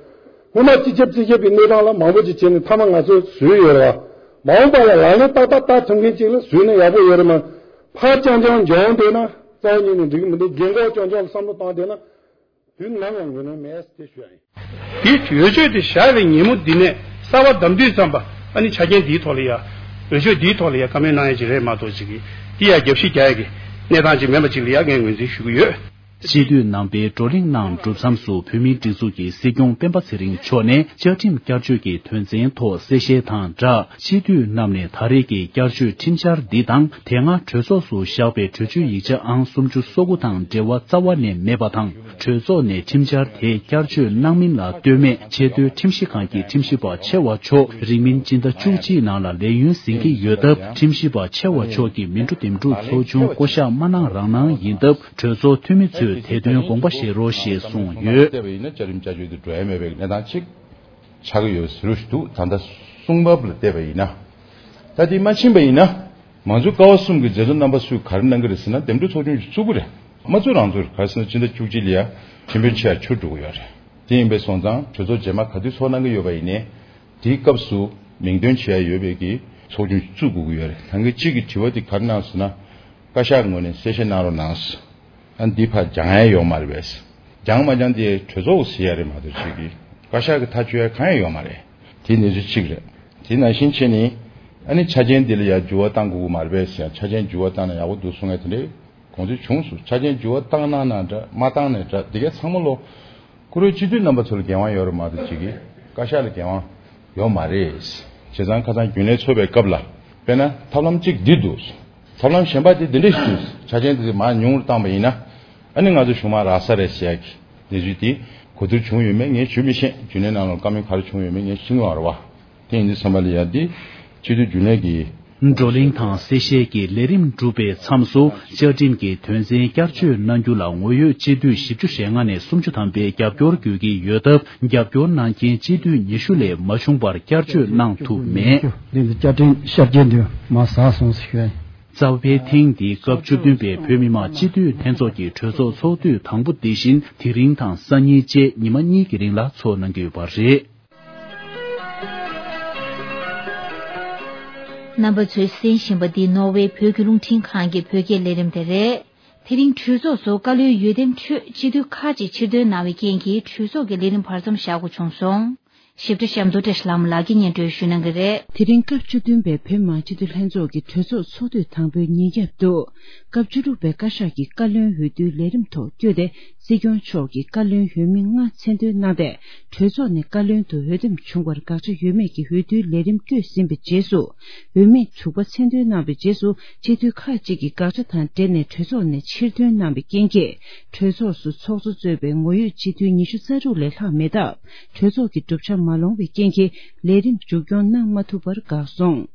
སྔོན་མ་སྤྱི་ཁྱབ་རྩིས་ཞིབ་པའི་གནས་སྟངས་ལ་མང་པོ་ཅིག་བྱས་ནས་མཐའ་མ་ང་ཚོས་བཟོས་ཡོད་རེད་བ། མ་འོངས་པ་ལ་ལག་ལེན་ཏག་ཏག་བསྟར་ཐུབ་མཁན་ཅིག་ལ་བཟོས་ན་ཡག་པོ་ཡོད་རེད་མ། ཕར་རྐྱང་རྐྱང་འཇོག་འདོད་ན་རྩ་བ་ཉིད་ནས་འགྲིག་གི་མི་འདུག་རྒན་གོག་རྐྱང་རྐྱང་ལ་བསམ་བློ་བཏང་བསྡད་ན་དུས་ནམ་ཡང་ངོས་ལེན་མེད་ཟེར་ཞུ་ཡ་ཡིན། དེའི་འོས་ཆོས་དེ་བཞག་པའི་ཉིན་མོ་འདི་ནས་གསར་པ་བདམས་དུས་ཙམ་པ་ཨ་ནི་ཆ་རྐྱེན་འདིའི་ཐོག་ལ་ཡ། འོས་ཆོས་འདིའི་ཐོག་ལ་ཡ་བཀའ་མོལ་གནང་ཡ་ཅིག་རེད་མ་གཏོགས་ཅིག་གིས་འདི་ཡ་རྒྱབ་བཤིག་རྒྱག་ཡ་གི་གནས་སྟངས་ཅིག་མེད་པ་ཅིག་ལ་ཡ་ངས་ངོས་འཛིན་ཞུ་གི་ཡོད། སྤྱི་འཐུས་རྣམ་པས་བགྲོ་གླེང་གནང་གྲུབ་མཚམས་སུ་བོད་མིའི་སྒྲིག་འཛུགས་ཀྱི་སྲིད་སྐྱོང་སྤེན་པ་ཚེ་རིང་མཆོག་ནས་བཅའ་ཁྲིམས་བསྐྱར་བཅོས་ཀྱི་དོན་ཚན་ཐོག་གསལ་བཤད་དང་སྦྲགས། སྤྱི་འཐུས་རྣམས་ནས་ད་རེས་ཀྱི་བསྐྱར་བཅོས་ཁྲིམས་འཆར་འདི་དང་དེ་སྔ་གྲོས་ཚོགས་སུ་བཞག་པའི་གྲོས་ཆོད་ཡིག་ཆ་ཨང་སུམ་ཅུ་སོ་དགུ་དང་འབྲེལ་བ་རྩ་བ་ནས་མེད་པ་དང་། གྲོས་ཚོགས་ནས་ཁྲིམས་འཆར་དེ་བསྐྱར་བཅོས་གནང་མིན་ལ་ལྟོས་མེད་ཆེས་མཐོའི་ཁྲིམས་ཞིབ་ཁང་གི་ཁྲིམས་ཞིབ་པ་ཆེ་བ་མཆོག་རིང་མིན་སྤྱི་ཟླ་བཅུ་གཅིག་ནང་ལ་ལས་ཡུན་ཟིན་གྱི་ཡོད་སྟབས། ཁྲིམས་ཞིབ་པ་ཆེ་བ་མཆོག་གིས་མི་འགྲོ་འདེམས་སྒྲུག་ཚོགས་ཆུང་བསྐོ་གཞག་མ་གནང་རང་གནང་ཡིན་སྟབས། གྲོས་ཚོགས་འཐུས་མི་ཚོས་དེ་དོན་དགོངས་པ་བཞེས་རོགས་ཞེས་གསུངས་ཡོད། བལྟས་པ་ཡིན་ན་བཅའ་ཁྲིམས་བསྐྱར་བཅོས་དེ་འགྲོ་ཡ་མེད་པའི་གནས་སྟངས་ཅིག་ཆགས་ཀྱི་ཡོད་ཟེར་རོགས་ཞུ་འདུག་ད་ལྟ་གསུང་བབ་ལ་བལྟས་པ་ཡིན་ན། ད་དེ་མ་ཕྱིན་པ་ཡིན་ན། མང་གཙོ་ཀ་བ་གསུམ་གྱི་མཛད་གཙོ་རྣམ་པ་ཚོས་ག་རེ་གནང་གི་རེད་ཟེར་ན། འདེམས་སྒྲུག་ཚོགས་ཆུང་ཞིག་བཙུགས་ཀྱི་རེད། མ་བཙུགས་རང་བཙུགས་རེད། ག་རེ་ཟེར་ན་སྤྱི་ཟླ་བཅུ་གཅིག་ལ་ཡ་ཁྲིམས་དཔོན་ཆེ་ཡ་ཆུར་འགྲོ་གི་ཡོད་རེད། དེ་ཡིན་པས་སོང་ཙང་གྲོས་ཚོགས་རྗེས་མ་ག་དུས་ཚོགས་གནང་གི་ཡོད་པ་ཡིན་ནའི། དེའི་སྐབས་སུ་མིང་འདོན་བྱེད་ཡ་ཡོད་པའི་གི་ཚོགས་ཆུང་བཙུགས་དགོས་ཀྱི་ཡོད་རེད། ད་གིན་གཅིག་གི་དྲི་བ་དེ་ག་རེ་གནང་སོང་ན། བཀའ་ཤག་ངོས་ནས་གསལ་བཤད་གནང་རོགས་གནང་ཟེར། ཨ་འདི་ཕར་སྦྱང་ཡ་ཡོད་མ་རེད་པས། སྦྱང་མ་སྦྱང་དེ་གྲོས་ཚོགས་ཟེར་ཡ་རེད་མ་གཏོགས་ཅིག་གི་བཀའ་ཤག་གི་ཐག་གཅོད་ཡ་གང་ཡང་ཡོད་མ་རེད། དེ་གནས་ཚུལ་གཅིག་རེད། དེ་ནང་བཞིན་བྱས་ནས་ཨ་ནི་ཆ་རྐྱེན་འདི་ལ་ཡ་འགྱུར་བ་གཏང་དགོས་ཀྱི་མ་རེད་པས་ཟེར་ཡ། ཆ་རྐྱེན་འགྱུར་བ་བཏང་ན་ཡག་པོ་འདུག་གསུང་ཡ་དེ་འདྲའི་དགོངས་ཚུལ་བྱུང་སོང་། ཆ་རྐྱེན་འགྱུར་བ་བཏང་གནང་ན་འདྲ་མ་བཏང་ནའི་འདྲ་འདི་གའི་ཚང་མ་ལོ། བཀུར་འོས་སྤྱི་འཐུས་རྣམ་པ་ཚོ་ལ་འགན་དབང་ཡོད་རེད་མ་གཏོགས་ཅིག་གིས་བཀའ་ཤག་ལ་འགན་དབང་ཡོད་མ་རེད། བྱས་ཙང་ཁ་སང་རྒྱུན་ལས་ཚོགས་པའི་སྐབས་ལ་དཔེར་ན་ཐབས་ལམ་གཅིག་འདི་འདུག་ཐབས་ལམ་གཞན་པ་དེ་འདི་འདྲ་ཞིག་འདུག་ཆ་རྐྱེན་དེ་མར་ཉུང་རུ་བཏང་པ་ཡིན་ན་ཨ་ནི་ང་ཚོ་གཞུང་མང་རག་ས་རེད་ཟེར་ཡ་གི་གནས་ཚུལ་དེ་གོ་བསྡུར་བྱུང་ཡོད་མེད་ངས་ཞུ་མི་ཤེས། རྒྱུན་ལས་ནང་ལ་བཀའ་མོལ་ག་རེ་བྱུང་ཡོད་མེད་ངས་ཤེས་ཀྱི་མ་རེད་བ། དེ་ཡིན་དུས་ཙམ་པ་ལ་ཡ་འདི་སྤྱི་འཐུས་རྒྱུན་ལས་ཀྱི་བགྲོ་གླེང་དང་གསལ་བཤད་ཀྱི་ལས་རིམ་གྲུབ་པའི་མཚམས་སུ་བཅའ་ཁྲིམས་ཀྱི་དོན་ཚན་བསྐྱར་བཅོས་གནང་རྒྱུ་ལ་ངོ་ཡོད་སྤྱི་འཐུས་བཞི་བཅུ་ཞེ་ལྔ་ནས་སུམ་ཅུ་ཐམ་པའི་རྒྱབ་སྐྱོར་དགོས་ཀྱི་ཡོད་སྟབས། རྒྱབ་སྐྱོར་གནང་མཁན་སྤྱི་འཐུས་ཉི་ཤུ་ལས་མ་བྱུང་བར་བསྐྱར་བཅོས་གནང་ཐུབ་མེད། འདི་ནི་བཅའ་ཁྲིམས་ཤར་རྒྱས་འདི་མ་ཟག་སོང་ཟེར་ཞུ་ཡ་ཡིན། རྩ་བའི་ཐེངས་འདིའི་སྐབས་བཅུ་བདུན་པའི་བོད་མི་མང་སྤྱི་འཐུས་ལྷན་ཚོགས་ཀྱི་གྲོས་ཚོགས་ཚོགས་དུས་དང་པོ་འདི་བཞིན་དེ་རིང་དང་སང་ཉིན་བཅས་ཉི་མ་གཉིས་ཀྱི་རིང་ལ་ཚོགས་གནང་གི་ཡོད་པ་རེད། རྣམ་པ་ཚོས་གསན་བཞིན་པ་འདི་ནོར་ཝེ་བོད་ཀྱི་རླུང་འཕྲིན་ཁང་གི་བོད་སྐད་ལས་རིམ་དེ་རེད། དེ་རིང་གྲོས་ཚོགས་སུ་བཀའ་བློན་འོས་འདེམས་ཁྲོད་སྤྱི་འཐུས་ཁག་ཅིག་ཕྱིར་འདོན་གནང་བའི་རྐྱེན་གྱིས་གྲོས་ཚོགས་ཀྱི་ལས་རིམ་བར་མཚམས་བཞག་དགོས་བྱུང་སོང་། ཞིབ་ཕྲ་གཤམ་དུ་བཀྲ་ཤིས་ལྷ་མོ་ལགས་ཀྱིས་སྙན་སྒྲོན་ཞུ་གནང་གི་རེད། དེ་རིང་སྐབས་བཅུ་བདུན་པའི་བོད་མི་མང་སྤྱི་འཐུས་ལྷན་ཚོགས་ཀྱི་གྲོས་ཚོགས་ཚོགས་དུས་དང་པོའི་ཉིན་རྒྱབ་ཏུ། སྐབས་བཅུ་དྲུག་པའི་བཀའ་ཤག་གི་བཀའ་བློན་འོས་བསྡུའི་ལས་རིམ་ཐོག་བསྐྱོད་དེ། སྲིད་སྐྱོང་མཆོག་གིས་བཀའ་བློན་འོས་མི་ལྔ་མཚན་འདོན་གནང་སྟེ། གྲོས་ཚོགས་ནས་བཀའ་བློན་དུ་འོས་འདེམས་བྱུང་བར་དགག་བྱ་ཡོད་མེད་ཀྱི་འོས་བསྡུའི་ལས་རིམ་བསྐྱོད་ཟིན་པའི་རྗེས་སུ། འོས་མི་དྲུག་པ་མཚན་འདོན་གནང་བའི་རྗེས་སུ། སྤྱི་འཐུས་ཁག་ཅིག་གིས་དགག་བྱ་དང་འབྲེལ་ནས་གྲོས་ཚོགས་ནས་ཕྱིར་འདོན་གནང་བའི་རྐྱེན་གྱིས། གྲོས་ཚོགས་སུ་ཚོགས་གཙོ་གཙོས་པའི་ངོ་ཡོད་སྤྱི་འཐུས་ཉི་ཤུ་རྩ་དྲུག་ལས་ལྷག་མེད་སྟབས། གྲོས་ཚོགས་ཀྱི་གྲུབ་ཆ་མ་ལོངས་པའི་རྐྱེན་གྱིས། ལས་རིམ་མཇུག་སྐྱོང་གནང་མ་ཐུབ་པར་འགག་སོང་།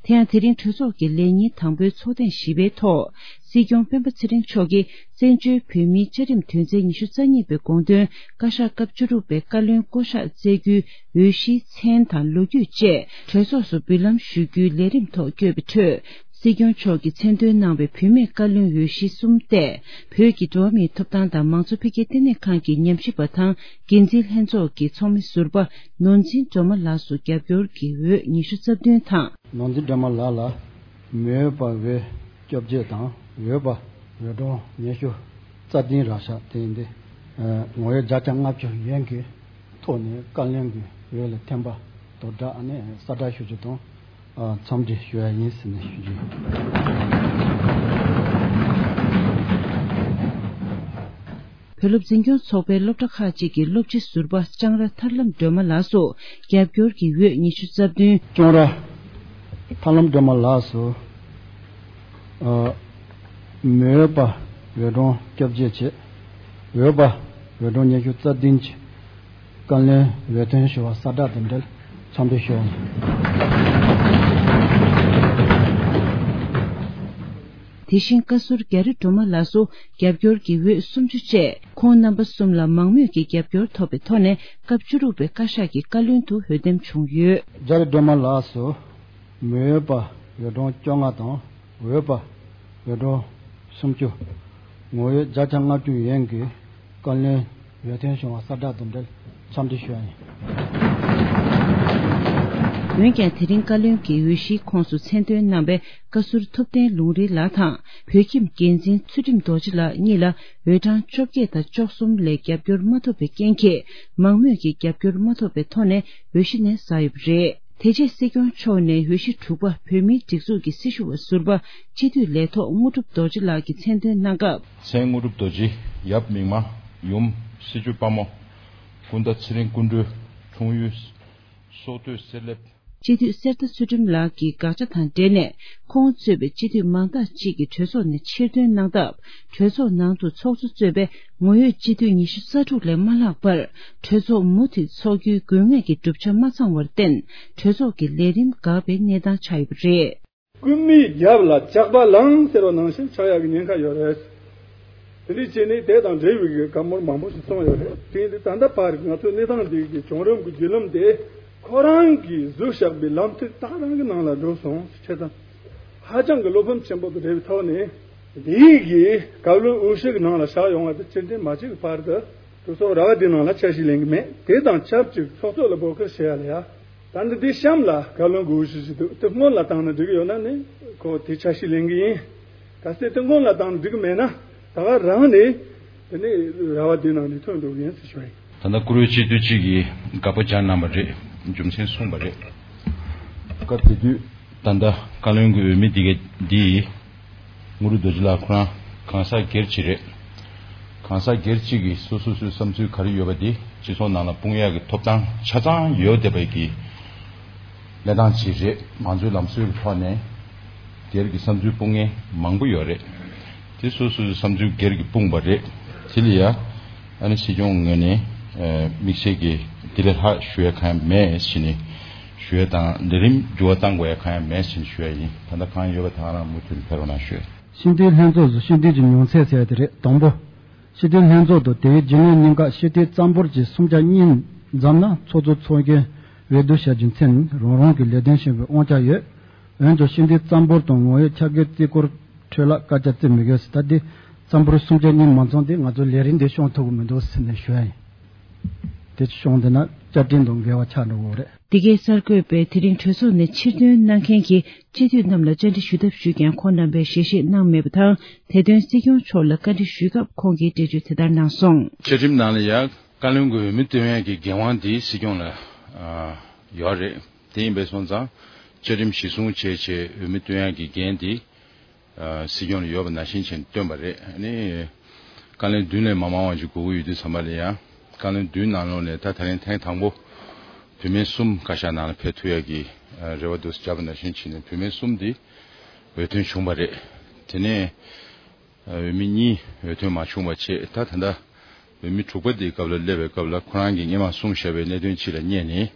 དེ་ཡང་དེ་རིང་གྲོས་ཚོགས་ཀྱི་ལས་ཉིན་དང་པོའི་ཚོགས་ཐེངས་བཞི་པའི་ཐོག་སྲིད་སྐྱོང་སྤེན་པ་ཚེ་རིང་མཆོག་གིས་བཙན་བྱོལ་བོད་མིའི་བཅའ་ཁྲིམས་དོན་ཚན་ཉི་ཤུ་རྩ་གཉིས་པའི་དགོངས་དོན། བཀའ་ཤག་སྐབས་བཅུ་དྲུག་པའི་བཀའ་བློན་བསྐོ་གཞག་བསྩལ་རྒྱུའི་འོས་གཞིའི་མཚན་དང་ལོ་རྒྱུས་བཅས་གྲོས་ཚོགས་སུ་འབུལ་ལམ་ཞུ་རྒྱུའི་ལས་རིམ་ཐོག་བསྐྱོད་པའི་ཁྲོད། སྲིད་སྐྱོང་མཆོག་གིས་མཚན་འདོན་གནང་བའི་བུད་མེད་བཀའ་བློན་འོས་གཞི་གསུམ་སྟེ། བོད་ཀྱི་འགྲོ་བ་མིའི་ཐོབ་ཐང་དང་མང་གཙོ་འཕེལ་རྒྱས་ལྟེ་གནས་ཁང་གི་ཉམས་ཞིབ་པ་དང་འགན་འཛིན་ལྷན་ཚོགས་ཀྱི་ཚོགས་མི་ཟུར་པ་ནོར་འཛིན་སྒྲོལ་མ་ལགས་སུ་རྒྱབ་སྐྱོར་གྱི་འོས་ཉི་ཤུ་རྩ་བདུན་དང་། ནོར་འཛིན་སྒྲོལ་མ་ལགས་ལ་མི་འོས་པ་འོས་བཅོ་བརྒྱད་དང་འོས་པ་འོས་གྲངས་ཉི་ཤུ་རྩ་བདུན་རག་ཤག་དེ་ཡིན་ཏེ། ངོ་ཡོད་བརྒྱ་ཆ་ལྔ་བཅུ་ཡན་གྱི་ཐོག་ནས་བཀའ་བློན་གྱི་འོས་ལ་འཐེན་པ་དོ་བདག་ཨ་ནི་གསལ་བསྒྲགས་ཞུ་རྒྱུ་དང་། འཚམས་འདྲི་ཞུ་ཡ་ཡིན་ཟེར་ནས་ཞུ་རྒྱུ་ཡིན། བོད་སློབ་འཛིན་སྐྱོང་ཚོགས་པའི་སློབ་གྲྭ་ཁག་ཅིག་གི་སློབ་སྤྱི་ཟུར་པ་ལྕང་ར་ཐར་ལམ་སྒྲོལ་མ་ལགས་སུ་རྒྱབ་སྐྱོར་གྱི་འོས་ཉི་ཤུ་རྩ་བདུན། ལྕང་ར་ཐར་ལམ་སྒྲོལ་མ་ལགས་སུ། མི་འོས་པ་འོས་གྲངས་བཅོ་བརྒྱད་བྱས། འོས་པ་འོས་གྲངས་ཉི་ཤུ་རྩ་བདུན་བྱས། བཀའ་བློན་འོས་ཐོན་ཞུ་བ་གསལ་བསྒྲགས་དེ་འབྲེལ་འཚམས་འདྲི་ཞུ། དེ་བཞིན་བཀའ་ཟུར་རྒྱ་རི་སྒྲོལ་མ་ལགས་སུ་རྒྱབ་སྐྱོར་གྱི་འོས་སུམ་ཅུ་བཅས་ཁོང་རྣམ་པ་གསུམ་ལ་མང་མོས་ཀྱི་རྒྱབ་སྐྱོར་ཐོབ་པའི་ཐོག་ནས་སྐབས་བཅུ་དྲུག་པའི་བཀའ་ཤག་གི་བཀའ་བློན་དུ་འོས་འདེམས་བྱུང་ཡོད། རྒྱ་རི་སྒྲོལ་མ་ལགས་སུ་མི་འོས་པ་འོས་གྲངས་བཅོ་ལྔ་དང་འོས་པ་འོས་གྲངས་སུམ་ཅུ། ངོ་འོས་བརྒྱ་ཆ་ལྔ་བཅུ་ཡན་གྱི་བཀའ་བློན་འོས་ཐོན་བྱུང་བ་གསལ་བསྒྲགས་དང་འབྲེལ་འཚམས་འདྲི་ཞུ་བ་ཡིན། འོན་ཀྱང་དེ་རིང་བཀའ་བློན་གྱི་འོས་གཞིའི་ཁོངས་སུ་མཚན་འདོན་གནང་བའི་བཀའ་ཟུར་ཐུབ་བསྟན་ལུང་རིགས་ལགས་དང་། བོད་ཁྱིམ་འགན་འཛིན་ཚུལ་ཁྲིམས་རྡོ་རྗེ་ལགས་གཉིས་ལ་འོས་གྲངས་བཅོ་བརྒྱད་དང་བཅུ་གསུམ་ལས་རྒྱབ་སྐྱོར་མ་ཐོབ་པའི་རྐྱེན་གྱིས། མང་མོས་ཀྱི་རྒྱབ་སྐྱོར་མ་ཐོབ་པའི་ཐོག་ནས་འོས་གཞི་ནས་གསལ་ཡོད་པ་རེད། དེ་རྗེས་སྲིད་སྐྱོང་མཆོག་ནས་འོས་གཞི་དྲུག་པ་བོད་མིའི་སྒྲིག་འཛུགས་ཀྱི་སྲི་ཞུ་བ་ཟུར་པ་སྤྱི་འཐུས་ལས་ཐོག་དངོས་གྲུབ་རྡོ་རྗེ་ལགས་ཀྱིས་མཚན་འདོན་གནང་སྐབས། མཚན་དངོས་གྲུབ་རྡོ་རྗེ། ཡབ་མིག་དམར། ཡུམ་སྲིད་བྱུས་དཔའ་མོ། སྐུ་ཟླ་ཚེ་རིང་སྐུ་མགྲོན། འཁྲུངས་ཡུལ་སོག་སྟོད་གསེར་ལེབ། སྤྱི་འཐུས་གསེར་རྟ་ཚུལ་ཁྲིམས་ལགས་ཀྱི་དགག་བྱ་དང་འབྲེལ་ནས། ཁོང་གཙོས་པའི་སྤྱི་འཐུས་མང་དག་ཅིག་གིས་གྲོས་ཚོགས་ནས་ཕྱིར་ཐོན་གནང་སྟབས། གྲོས་ཚོགས་ནང་དུ་ཚོགས་གཙོ་གཙོས་པའི་ངོ་ཡོད་སྤྱི་འཐུས་ཉི་ཤུ་རྩ་དྲུག་ལས་མ་ལྷག་པར། གྲོས་ཚོགས་མུ་མཐུད་འཚོགས་རྒྱུའི་དགོས་ངེས་ཀྱི་གྲུབ་ཆ་མ་ཚང་བར་བརྟེན། གྲོས་ཚོགས་ཀྱི་ལས་རིམ་འགག་པའི་གནས་སྟངས་ཆགས་ཡོད་པ་རེད། རྐུན་མའི་རྒྱབ་ལ་ཇག་པ་ལངས་ཟེར་བ་ནང་བཞིན་ཆགས་ཡག་གི་ཉེན་ཁ་ཡོད་རེད། དེ་འདྲའི་བྱས་ནས་དེ་དང་འབྲེལ་བའི་གི་བཀའ་མོལ་མང་པོ་ཞིག་གསུངས་ཡོད་རེད། དེ་ཡིན་དུས་ད་ལྟ་བར་ང་ཚོའི་གནས་སྟངས་འདི་གི་བྱུང་རིམ་གྱི་བརྒྱུད་ལམ་དེ་ཁོ་རང་གིས་བཟོས་བཞག་པའི་ལམ་ཐིག་ད་རང་གི་ནང་ལ་འགྲོ་སོང་ཟེར་བྱས་ཙང་། ཧ་ཅང་གི་བློ་ཕམ་ཆེན་པོ་དང་འབྲེལ་བའི་ཐོག་ནས་འདིའི་གི་བཀའ་བློན་འོས་གཞི་གི་ནང་ལ་བཞག་ཡོང་བ་དེ་སྤྱི་འཐུས་མ་གཅིག་གི་བར་དུ་གྲོས་ཚོགས་ར་བ་འདི་ནང་ལ་ཆ་ཤས་ལེན་གི་མེད། དེ་དང་ཆབས་ཅིག་ཚོགས་གཙོ་ལ་འབོད་སྐུལ་བྱེད་ཡ་ལ་ཡ། ད་ནི་འདི་གཤམ་ལ་བཀའ་བློན་གྱི་འོས་གཞི་ཞིག་འདུག་དེ་སྔོན་ལ་བཏང་ན་འགྲིག་གི་ཡོད་ན་ནི་ཁོ་དེ་ཆ་ཤས་ལེན་གི་ཡིན། གལ་སྲིད་དེ་སྔོན་ལ་བཏང་ན་འགྲིག་གི་མེད་ན་ད་ག་རང་ནས་དེ་ནི་ར་བ་འདི་ནང་ནས་ཐོན་འགྲོ་གི་ཡིན་ཟེར་ཞུ་ཡིན། ད་ལྟ་བཀུར་འོས་སྤྱི་འཐུས་གཅིག་གིས་དགག་པ་བརྒྱབ་གནང་བ་རེད། རྒྱུ་མཚན་གསུངས་པ་རེད། སྐབས་དེ་དུས་ད་ལྟ་བཀའ་བློན་གྱི་འོས་མི་འདི་ག་འདི་དངོས་གྲུབ་རྡོ་རྗེ་ལགས་ཁོ་རང་གང་ཟག་སྒེར་གཅིག་རེད། གང་ཟག་སྒེར་གཅིག་གིས་སོ་སོ་སོའི་བསམ་ཚུལ་ག་རེ་ཡོད་པ་དེ་སྤྱི་ཚོགས་ནང་ལ་སྤུངས་ཡག་གི་ཐོབ་ཐང་ཆ་ཚང་ཡོད་བསྡད་པའི་གི་གནས་སྟངས་ཅིག་རེད། མང་གཙོའི་ལམ་སྲོལ་གྱི་ཐོག་ནས་སྒེར་གྱི་བསམ་ཚུལ་སྤུངས་མཁན་མང་པོ་ཡོད་རེད། དེ་སོ་སོའི་བསམ་ཚུལ་སྒེར་གྱིས་སྤུངས་པ་རེད། དེ་ལ་ཡ་ཨ་ནི་སྲིད་སྐྱོང་ངོས་ནས་ཨ་དམིགས་བསལ་གྱི་དེ་ལས་ལྷག་ཞུ་ཡ་གང་ཡང་མེད་ཟེར་ནས་ཞུ་ཡ་དང་ལས་རིམ་འགྱུར་བ་གཏང་དགོས་ཡ་གང་ཡང་མེད་ཟེར་ནས་ཞུ་ཡ་ཡིན། ད་ལྟ་གང་ཡོད་པ་དེ་ག་རང་མུ་མཐུད་ནས་ཕེབས་རོགས་གནང་ཞུ། སྤྱི་འཐུས་ལྷན་ཚོགས་སུ་སྤྱི་འཐུས་ཀྱི་མྱོང་ཚད་ཟེར་དེ་རེད། དང་པོ། སྤྱི་འཐུས་ལྷན་ཚོགས་དང་དེའི་རྒྱུན་ལས་གཉིས་ཀ་སྤྱི་འཐུས་རྩ་འབོར་གྱི་སུམ་ཆ་གཉིས་འཛོམས་ན་ཚོགས་གཙོ་ཚོགས་རྒྱན་འོས་བསྡུ་བྱ་རྒྱུའི་མཚན་རང་རང་གི་ལས་དོན་བྱེད་པའི་དབང་ཆ་ཡོད། འོན་ཀྱང་སྤྱི་འཐུས་རྩ་འབོར་དང་ངོ་ཡོད་ཆ་རྐྱེན་རྩིས་སྐོར་འཕྲོས་ལ་བཀའ་རྒྱ་བརྩི་མི་དགོས་ཟེར། ད་དེ་རྩ་འབོར་སུམ་ཆ་གཉིས་མ་འཛོམས་དེ་ང་ཚོ་ལས་རིམ་འདི་སྐྱོང་ཐུབ་ཀྱི་མི་འདུག་ཟེར་ནས་ཞུ་ཡ་ཡིན། དེ་སྐྱོང་བསྡད་ན་བཅའ་ཁྲིམས་དང་འགལ་བ་ཆགས་འགྲོ་གི་རེད། འདི་གའི་གསར་འགོད་པས་དེ་རིང་གྲོས་ཚོགས་ནས་ཕྱིར་ཐོན་གནང་མཁན་གྱི་སྤྱི་འཐུས་རྣམས་ལ་བཅར་འདྲི་ཞུ་ཐབས་ཞུས་ཀྱང་ཁོང་རྣམ་པས་ཞལ་བཞེས་གནང་མེད་པ་དང་། དེ་དོན་སྲིད་སྐྱོང་མཆོག་ལ་བཀའ་འདྲི་ཞུས་སྐབས་ཁོང་གིས་འགྲེལ་བརྗོད་དེ་ལྟར་གནང་སོང་། བཅའ་ཁྲིམས་ནང་ལ་ཡང་བཀའ་བློན་གྱི་འོས་མི་བཏོན་ཡས་ཀྱི་འགན་དབང་དེ་སྲིད་སྐྱོང་ལ་ཨ་ཡོད་རེད། དེ་ཡིན་པས་སོང་ཙང་བཅའ་ཁྲིམས་གཞིར་བཟུང་བྱས་བྱས་འོས་མི་བཏོན་ཡས་ཀྱི་འགན་དེ་ཨ་སྲིད་སྐྱོང་ལ་ཡོད་པ་ནང་བཞིན་བྱས་ནས་བཏོན་པ་རེད། ཨ་ནི་བཀའ་བློན་བདུན་ལས་མ་མང་བ་ཅིག་དགོས་ཀྱི་ཡོད་དུས་ཙམ་པ་ལ་ཡང་བཀའ་བློན་བདུན་ནང་ལོགས་ནས་ད་ད་རིང་ཐེངས་དང་པོ་བུད་མེད་གསུམ་བཀའ་ཤག་ནང་ལ་ཕེབས་ཐུབ་ཡ་གི་ཨ་རེ་བ་འདུག་སེ་བརྒྱབ་པ་ནང་བཞིན་བྱས་ནས་བུད་མེད་གསུམ་དེ་འོས་ཐོན་བྱུང་བ་རེད། དེ་ནས་ཨ་འོས་མི་གཉིས་འོས་ཐོན་མ་བྱུང་བ་བྱས། ད་ད་ལྟ་འོས་མི་དྲུག་པ་དེའི་སྐབས་ལ་སླེབས་པའི་སྐབས་ལ་ཁོ་རང་གིས་སྔོན་མ་གསུངས་བཞག་པའི་གནད་དོན་ཅིག་ལ་བསྙད་ནས་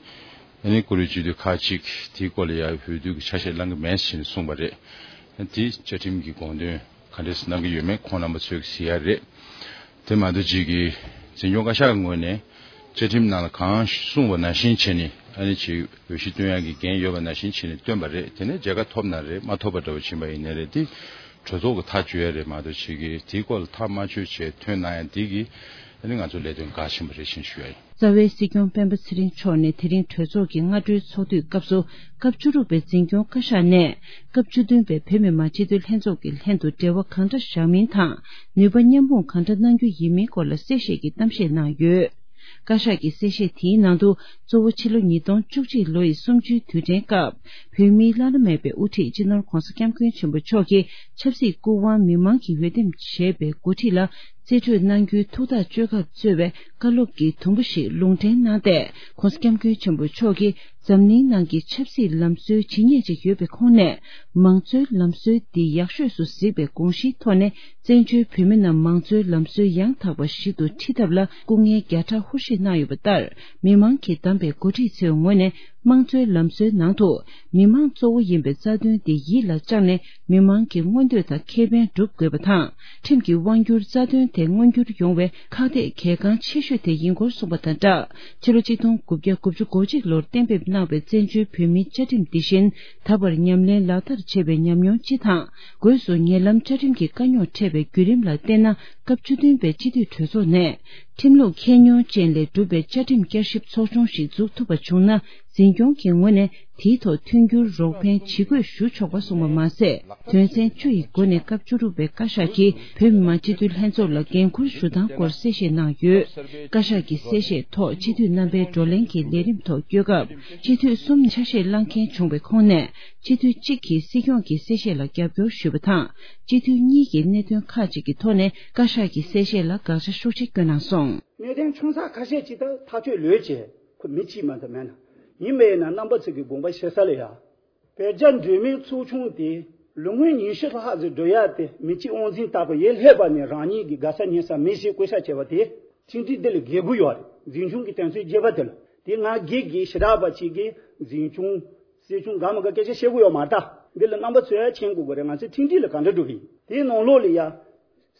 ཨ་ནི་བཀུར་འོས་སྤྱི་འཐུས་ཁག་ཅིག་དེའི་སྐོར་ལ་ཡང་འོས་བསྡུ་གི་ཆ་ཤས་བླང་གི་མེད་ཟེར་ནས་གསུངས་པ་རེད། དེ་བཅའ་ཁྲིམས་ཀྱི་དགོངས་དོན་ག་འདྲས་གནང་གི་ཡོད་མེད་ཁོང་རྣམ་པ་ཚོས་གཟིགས་ཡ་རེད། དེ་མ་གཏོགས་ཅིག་གིས་འཛིན་སྐྱོང་བཀའ་ཤག་གི་ངོས་ནས་བཅའ་ཁྲིམས་ནང་ལ་གང་གསུངས་པ་ནང་བཞིན་བྱས་ནས་ཨ་ནི་ཅིག་འོས་གཞི་བཏོན་ཡག་གི་འགན་ཡོད་པ་ནང་བཞིན་བྱས་ནས་བཏོན་པ་རེད། དེ་ནས་མཇལ་ཁ་ཐོབ་ན་རེད། མ་ཐོབ་པ་འདྲ་བོ་ཕྱིན་པ་ཡིན་ནའི་རེད། དེ་གྲོས་ཚོགས་ཀྱི་ཐག་གཅོད་ཡ་རེད་མ་གཏོགས་ཅིག་གིས་དེའི་སྐོར་ལ་ཐག་མ་ཆོད་བྱས་ཐོན་གནང་ཡ་འདི་གིས་ཨ་ནི་ང་ཚོ་ལས་དོན་འགག་ཕྱིན་པ་རེད་ཅེས་ཞུ་ཡ་ཡིན། རྩ་བའི་སྲིད་སྐྱོང་སྤེན་པ་ཚེ་རིང་མཆོག་ནས་དེ་རིང་གྲོས་ཚོགས་ཀྱི་སྔ་དྲོའི་ཚོགས་དུས་སྐབས་སུ་སྐབས་བཅུ་དྲུག་པའི་འཛིན་སྐྱོང་བཀའ་ཤག་ནས་སྐབས་བཅུ་བདུན་པའི་བོད་མི་མང་སྤྱི་འཐུས་ལྷན་ཚོགས་ཀྱི་ལྷན་དུ་འབྲེལ་བ་གང་འདྲ་བཞག་མིན་དང་ནུས་པ་མཉམ་སྤུངས་གང་འདྲ་གནང་རྒྱུ་ཡིན་མིན་སྐོར་ལ་གསལ་བཤད་ཀྱི་གཏམ་བཤད་གནང་ཡོད། བཀའ་ཤག་གི་གསལ་བཤད་དེའི་ནང་དུ་གཙོ་བོ་ཕྱི་ལོ་ཉིས་སྟོང་བཅུ་གཅིག་ལོ་ཡི་གསུམ་བཅུའི་དུས་དྲན་སྐབས་བོད་མིའི་བླ་ན་མེད་པའི་དབུ་ཁྲིད་སྤྱི་ནོར་༧གོང་ས་༧སྐྱབས་མགོན་ཆེན་པོ་མཆོག་གིས་ཆབ་སྲིད་སྐུ་དབང་མི་མང་གིས་འོས་འདེམས་བྱས་པའི་འགོ་ཁྲིད་ལ། རྩིས་སྤྲོད་གནང་རྒྱུའི་ཐུགས་ཐག་གཅོད་སྐབས་གཙོས་པའི་བཀའ་སློབ་ཀྱི་དུམ་བུ་ཞིག་ལུང་འདྲེན་གནང་སྟེ། ྋགོང་ས་ྋསྐྱབས་མགོན་ཆེན་པོ་མཆོག་གིས་འཛམ་གླིང་ནང་གི་ཆབ་སྲིད་ལམ་སྲོལ་ཇི་སྙེད་ཅིག་ཡོད་པའི་ཁོངས་ནས། མང་གཙོའི་ལམ་སྲོལ་འདི་ཡག་ཤོས་སུ་གཟིགས་པའི་དགོངས་གཞིའི་ཐོག་ནས། བཙན་བྱོལ་བོད་མི་རྣམས་མང་གཙོའི་ལམ་སྲོལ་ཡང་དག་པ་ཞིག་ཏུ་ཁྲིད་ཐབས་ལ་སྐུ་ངལ་བརྒྱ་ཕྲག་ཧུར་བཞེས་གནང་ཡོད་པ་ལྟར། མི་མང་གིས་བདམས་པའི་འགོ་ཁྲིད་ཚོའི་ངོས་ནས། དམངས་གཙོའི་ལམ་སྲོལ་ནང་དུ། མི་མང་གཙོ་བོ་ཡིན་པའི་རྩ་དོན་དེ་ཡིད་ལ་བཅངས་ནས། མི་མང་གི་མངོན་འདོད་དང་ཁེ་ཕན་སྒྲུབ་དགོས་པ་དང་། ཁྲིམས་ཀྱི་དབང་སྒྱུར་རྩ་དོན་དེ་མངོན་འགྱུར་ཡོང་བའི་ཁག་ཐེག་གལ་འགངས་ཆེ་ཤོས་དེ་ཡིན་སྐོར་གསུངས་པ་དང་སྦྲགས། ཕྱི་ལོ་ཆིག་སྟོང་དགུ་བརྒྱ་དགུ་བཅུ་གོ་གཅིག་ལོར་གཏན་འབེབས་གནང་བའི་བཙན་བྱོལ་བོད་མིའི་བཅའ་ཁྲིམས་འདི་བཞིན། ད་བར་ཉམས་ལེན་ལག་བསྟར་བྱས་པའི་ཉམས་མྱོང་སྤྱི་དང་། སྒོས་སུ་ཉེ་ལམ་བཅའ་ཁྲིམས་ཀྱི་དཀའ་རྙོག་འཕྲད་པའི་བརྒྱུད་རིམ་ལ་བལྟས་ན། སྐབས་བཅུ་བདུན་པའི་སྤྱི་འཐུས་གྲོས་ཚོགས་ནས། ཁྲིམས་ལུགས་ཁྱད་ཉོན་ཅན་ལས་གྲུབ་པའི་བཅའ་ཁྲིམས་བསྐྱར་ཞིབ་ཚོགས་ཆུང་ཞིག་འཛུགས་ཐུབ་པ་བྱུང་ན། འཛིན་སྐྱོང་གི་ངོས་ནས་དེའི་ཐོག་མཐུན་འགྱུར་རོགས་ཕན་ཇི་དགོས་ཞུ་ཆོག་པ་གསུངས་པ་མ་ཟད། དོན་ཚན་བཅུ་ཡི་སྒོ་ནས་སྐབས་བཅུ་དྲུག་པའི་བཀའ་ཤག་གིས་བོད་མི་མང་སྤྱི་འཐུས་ལྷན་ཚོགས་ལ་འགན་འཁུར་ཞུ་སྟངས་སྐོར་གསལ་བཤད་གནང་ཡོད། བཀའ་ཤག་གི་གསལ་བཤད་ཐོག་སྤྱི་འཐུས་རྣམ་པའི་བགྲོ་གླེང་གི་ལས་རིམ་ཐོག་བསྐྱོད་སྐབས། སྤྱི་འཐུས་གསུམ་ཆ་ཤས་བླངས་མཁན་བྱུང་བའི་ཁོངས་ནས། སྤྱི་འཐུས་གཅིག་གིས་སྲིད་སྐྱོང་གི་གསལ་བཤད་ལ་རྒྱབ་སྐྱོར་ཞུས་པ་དང་། སྤྱི་འཐུས་གཉིས་ཀྱིས་གནད་དོན་ཁག་ཅིག་གི་ཐོག་ནས་བཀའ་ཤག་གི་གསལ་བཤད་ལ་དགག་བྱ་ཤུགས་ཆེ་བསྐྱོན་གནང་སོང་། གནད་དོན་ཆུང་ས་ཁ་ཤས་ཅིག་ད་ཐག་གཅོད་ལོས་བྱས། ཁོ་མི་གཅིག་མ་གཏོགས་མེད་ན། ཡིན་པས་ན་རྣམ་པ་ཚོ་གི་དགོངས་པ་བཞེས་ས་ལ་ཡ། བོད་རྒྱ་འབྲེལ་མོལ་ཚོགས་ཆུང་དེ་ལོ་ངོ་ཉི་ཤུ་ལྷག་ཙམ་འགྲོ་ཡ་དེ། མི་གཅིག་དབང་འཛིན་ལྟ་བུ་ཡེ་སླེབས་པ་ནས་རང་ཉིད་ཀྱི་དགའ་ས་ཉན་ས་མི་ཞིག་བསྐོ་བཞག་བྱས་པ་དེ། ཁྲིམས་སྒྲིག་འདི་ལ་འགལ་དགོས་ཡོད་རེད། འཛིན་སྐྱོང་གི་དོན་ཚན་བརྒྱད་པ་དེ་ལ། དེ་ང་སྒེར་གྱི་ཞེ་དྲག་པ་ཅིག་གིས་འཛིན་སྐྱོང་། སྲིད་སྐྱོང་དགའ་མ་དགའ་སྐད་ཆ་བཤད་དགོས་ཡོད་མ་རེད་ད། འདི་ལ་རྣམ་པ་ཚོས་ཡ་མཁྱེན་དགོས་ཀྱི་རེད། ང་ཚོའི་མཐུན་སྒྲིག་ལ་ག་འདྲ་འགྲོ་གི་ཡིན། དེའི་ནང་ལོགས་ལ་ཡ།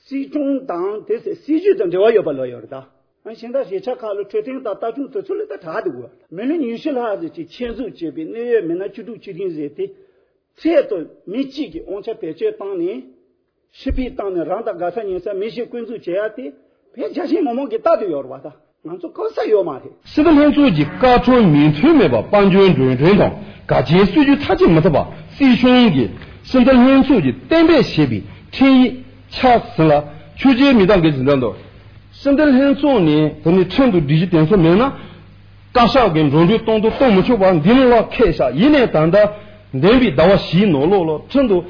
སྲིད་སྐྱོང་དང་དེ་ཚོའི་སྲིད་ཇུས་དང་འབྲེལ་བ་ཡོད་པ་ལོས་ཡོད་རེད་ད། ཨ་གཞན་དག་གཞིས་ཆགས་ཁག་ལ་འཕྲོད་བསྟེན་དང་ལྟ་སྐྱོང་དེ་ཚོ་ལ་ད་དྲག་འདུག་གོ། མི་ལོ་ཉི་ཤུ་ལྷག་ཙམ་ཅིག་ཆེད་འཛུགས་བྱས་པའི་གནད་ཡོད་མི་སྣ་བཅུ་དྲུག་བཅུ་བདུན་ཟེར་དེ། འཕྲལ་དུ་མི་གཅིག་གིས་དབང་ཆ་བེད་སྤྱོད་བཏང་ནས། ཕྱི་ཕྱིར་བཏང་ནས་རང་དང་དགའ་ས་ཉན་ས་མི་ཞིག་བསྐོ་འཛུགས་བྱེད་ཡ་དེ། བོད་རྒྱ་ཆེ་མི་མང་གིས་ལྟ་དུ་ཡོད་རེད་བ་ད། ང་ཚོ་བཀག་ས་ཡོད་མ་རེད། སྲིད་དོན་ལྷན་ཚོགས་ཀྱི་བཀའ་འཁྲོལ་མིང་ཐོན་མེད་པར་དཔལ་འབྱོར་འགྲོ་གྲོན་དང་དགའ་ཆེའི་སྲིད་ཇུས་མཐའ་གཅིག་མི་ཐུབ་པ། སྲིད་གཞུང་གིས་སྲིད་དོན་ལྷན་ཚོགས་ཀྱིས་གཏན་འབེབས་བྱས་པའི་ཁྲིམས་ཡིག་ཆ་ཟིན་ལ་ཆོས་བརྒྱུད་མི་དང་འགལ་ཟིན་དོན་དུ། སྲིད་དོན་ལྷན་ཚོགས་ནས་དེ་ནི་ཁྲིམས་དང་སྒྲིག་གཞི་དེ་ཚོ་མེད་ན། བཀའ་ཤག་གིས་འགྲོ་གྲོན་གཏོང་དང་གཏོང་མི་ཆོག་པ་འདི་ནང་ལ་འཁེལ་བཞག་ཡིན་ནའི་ད་ལྟ་འདས་པའི་ཟླ་བ་བཞིའི་ནང་ལོགས་ལ་ཁྲིམས་དང་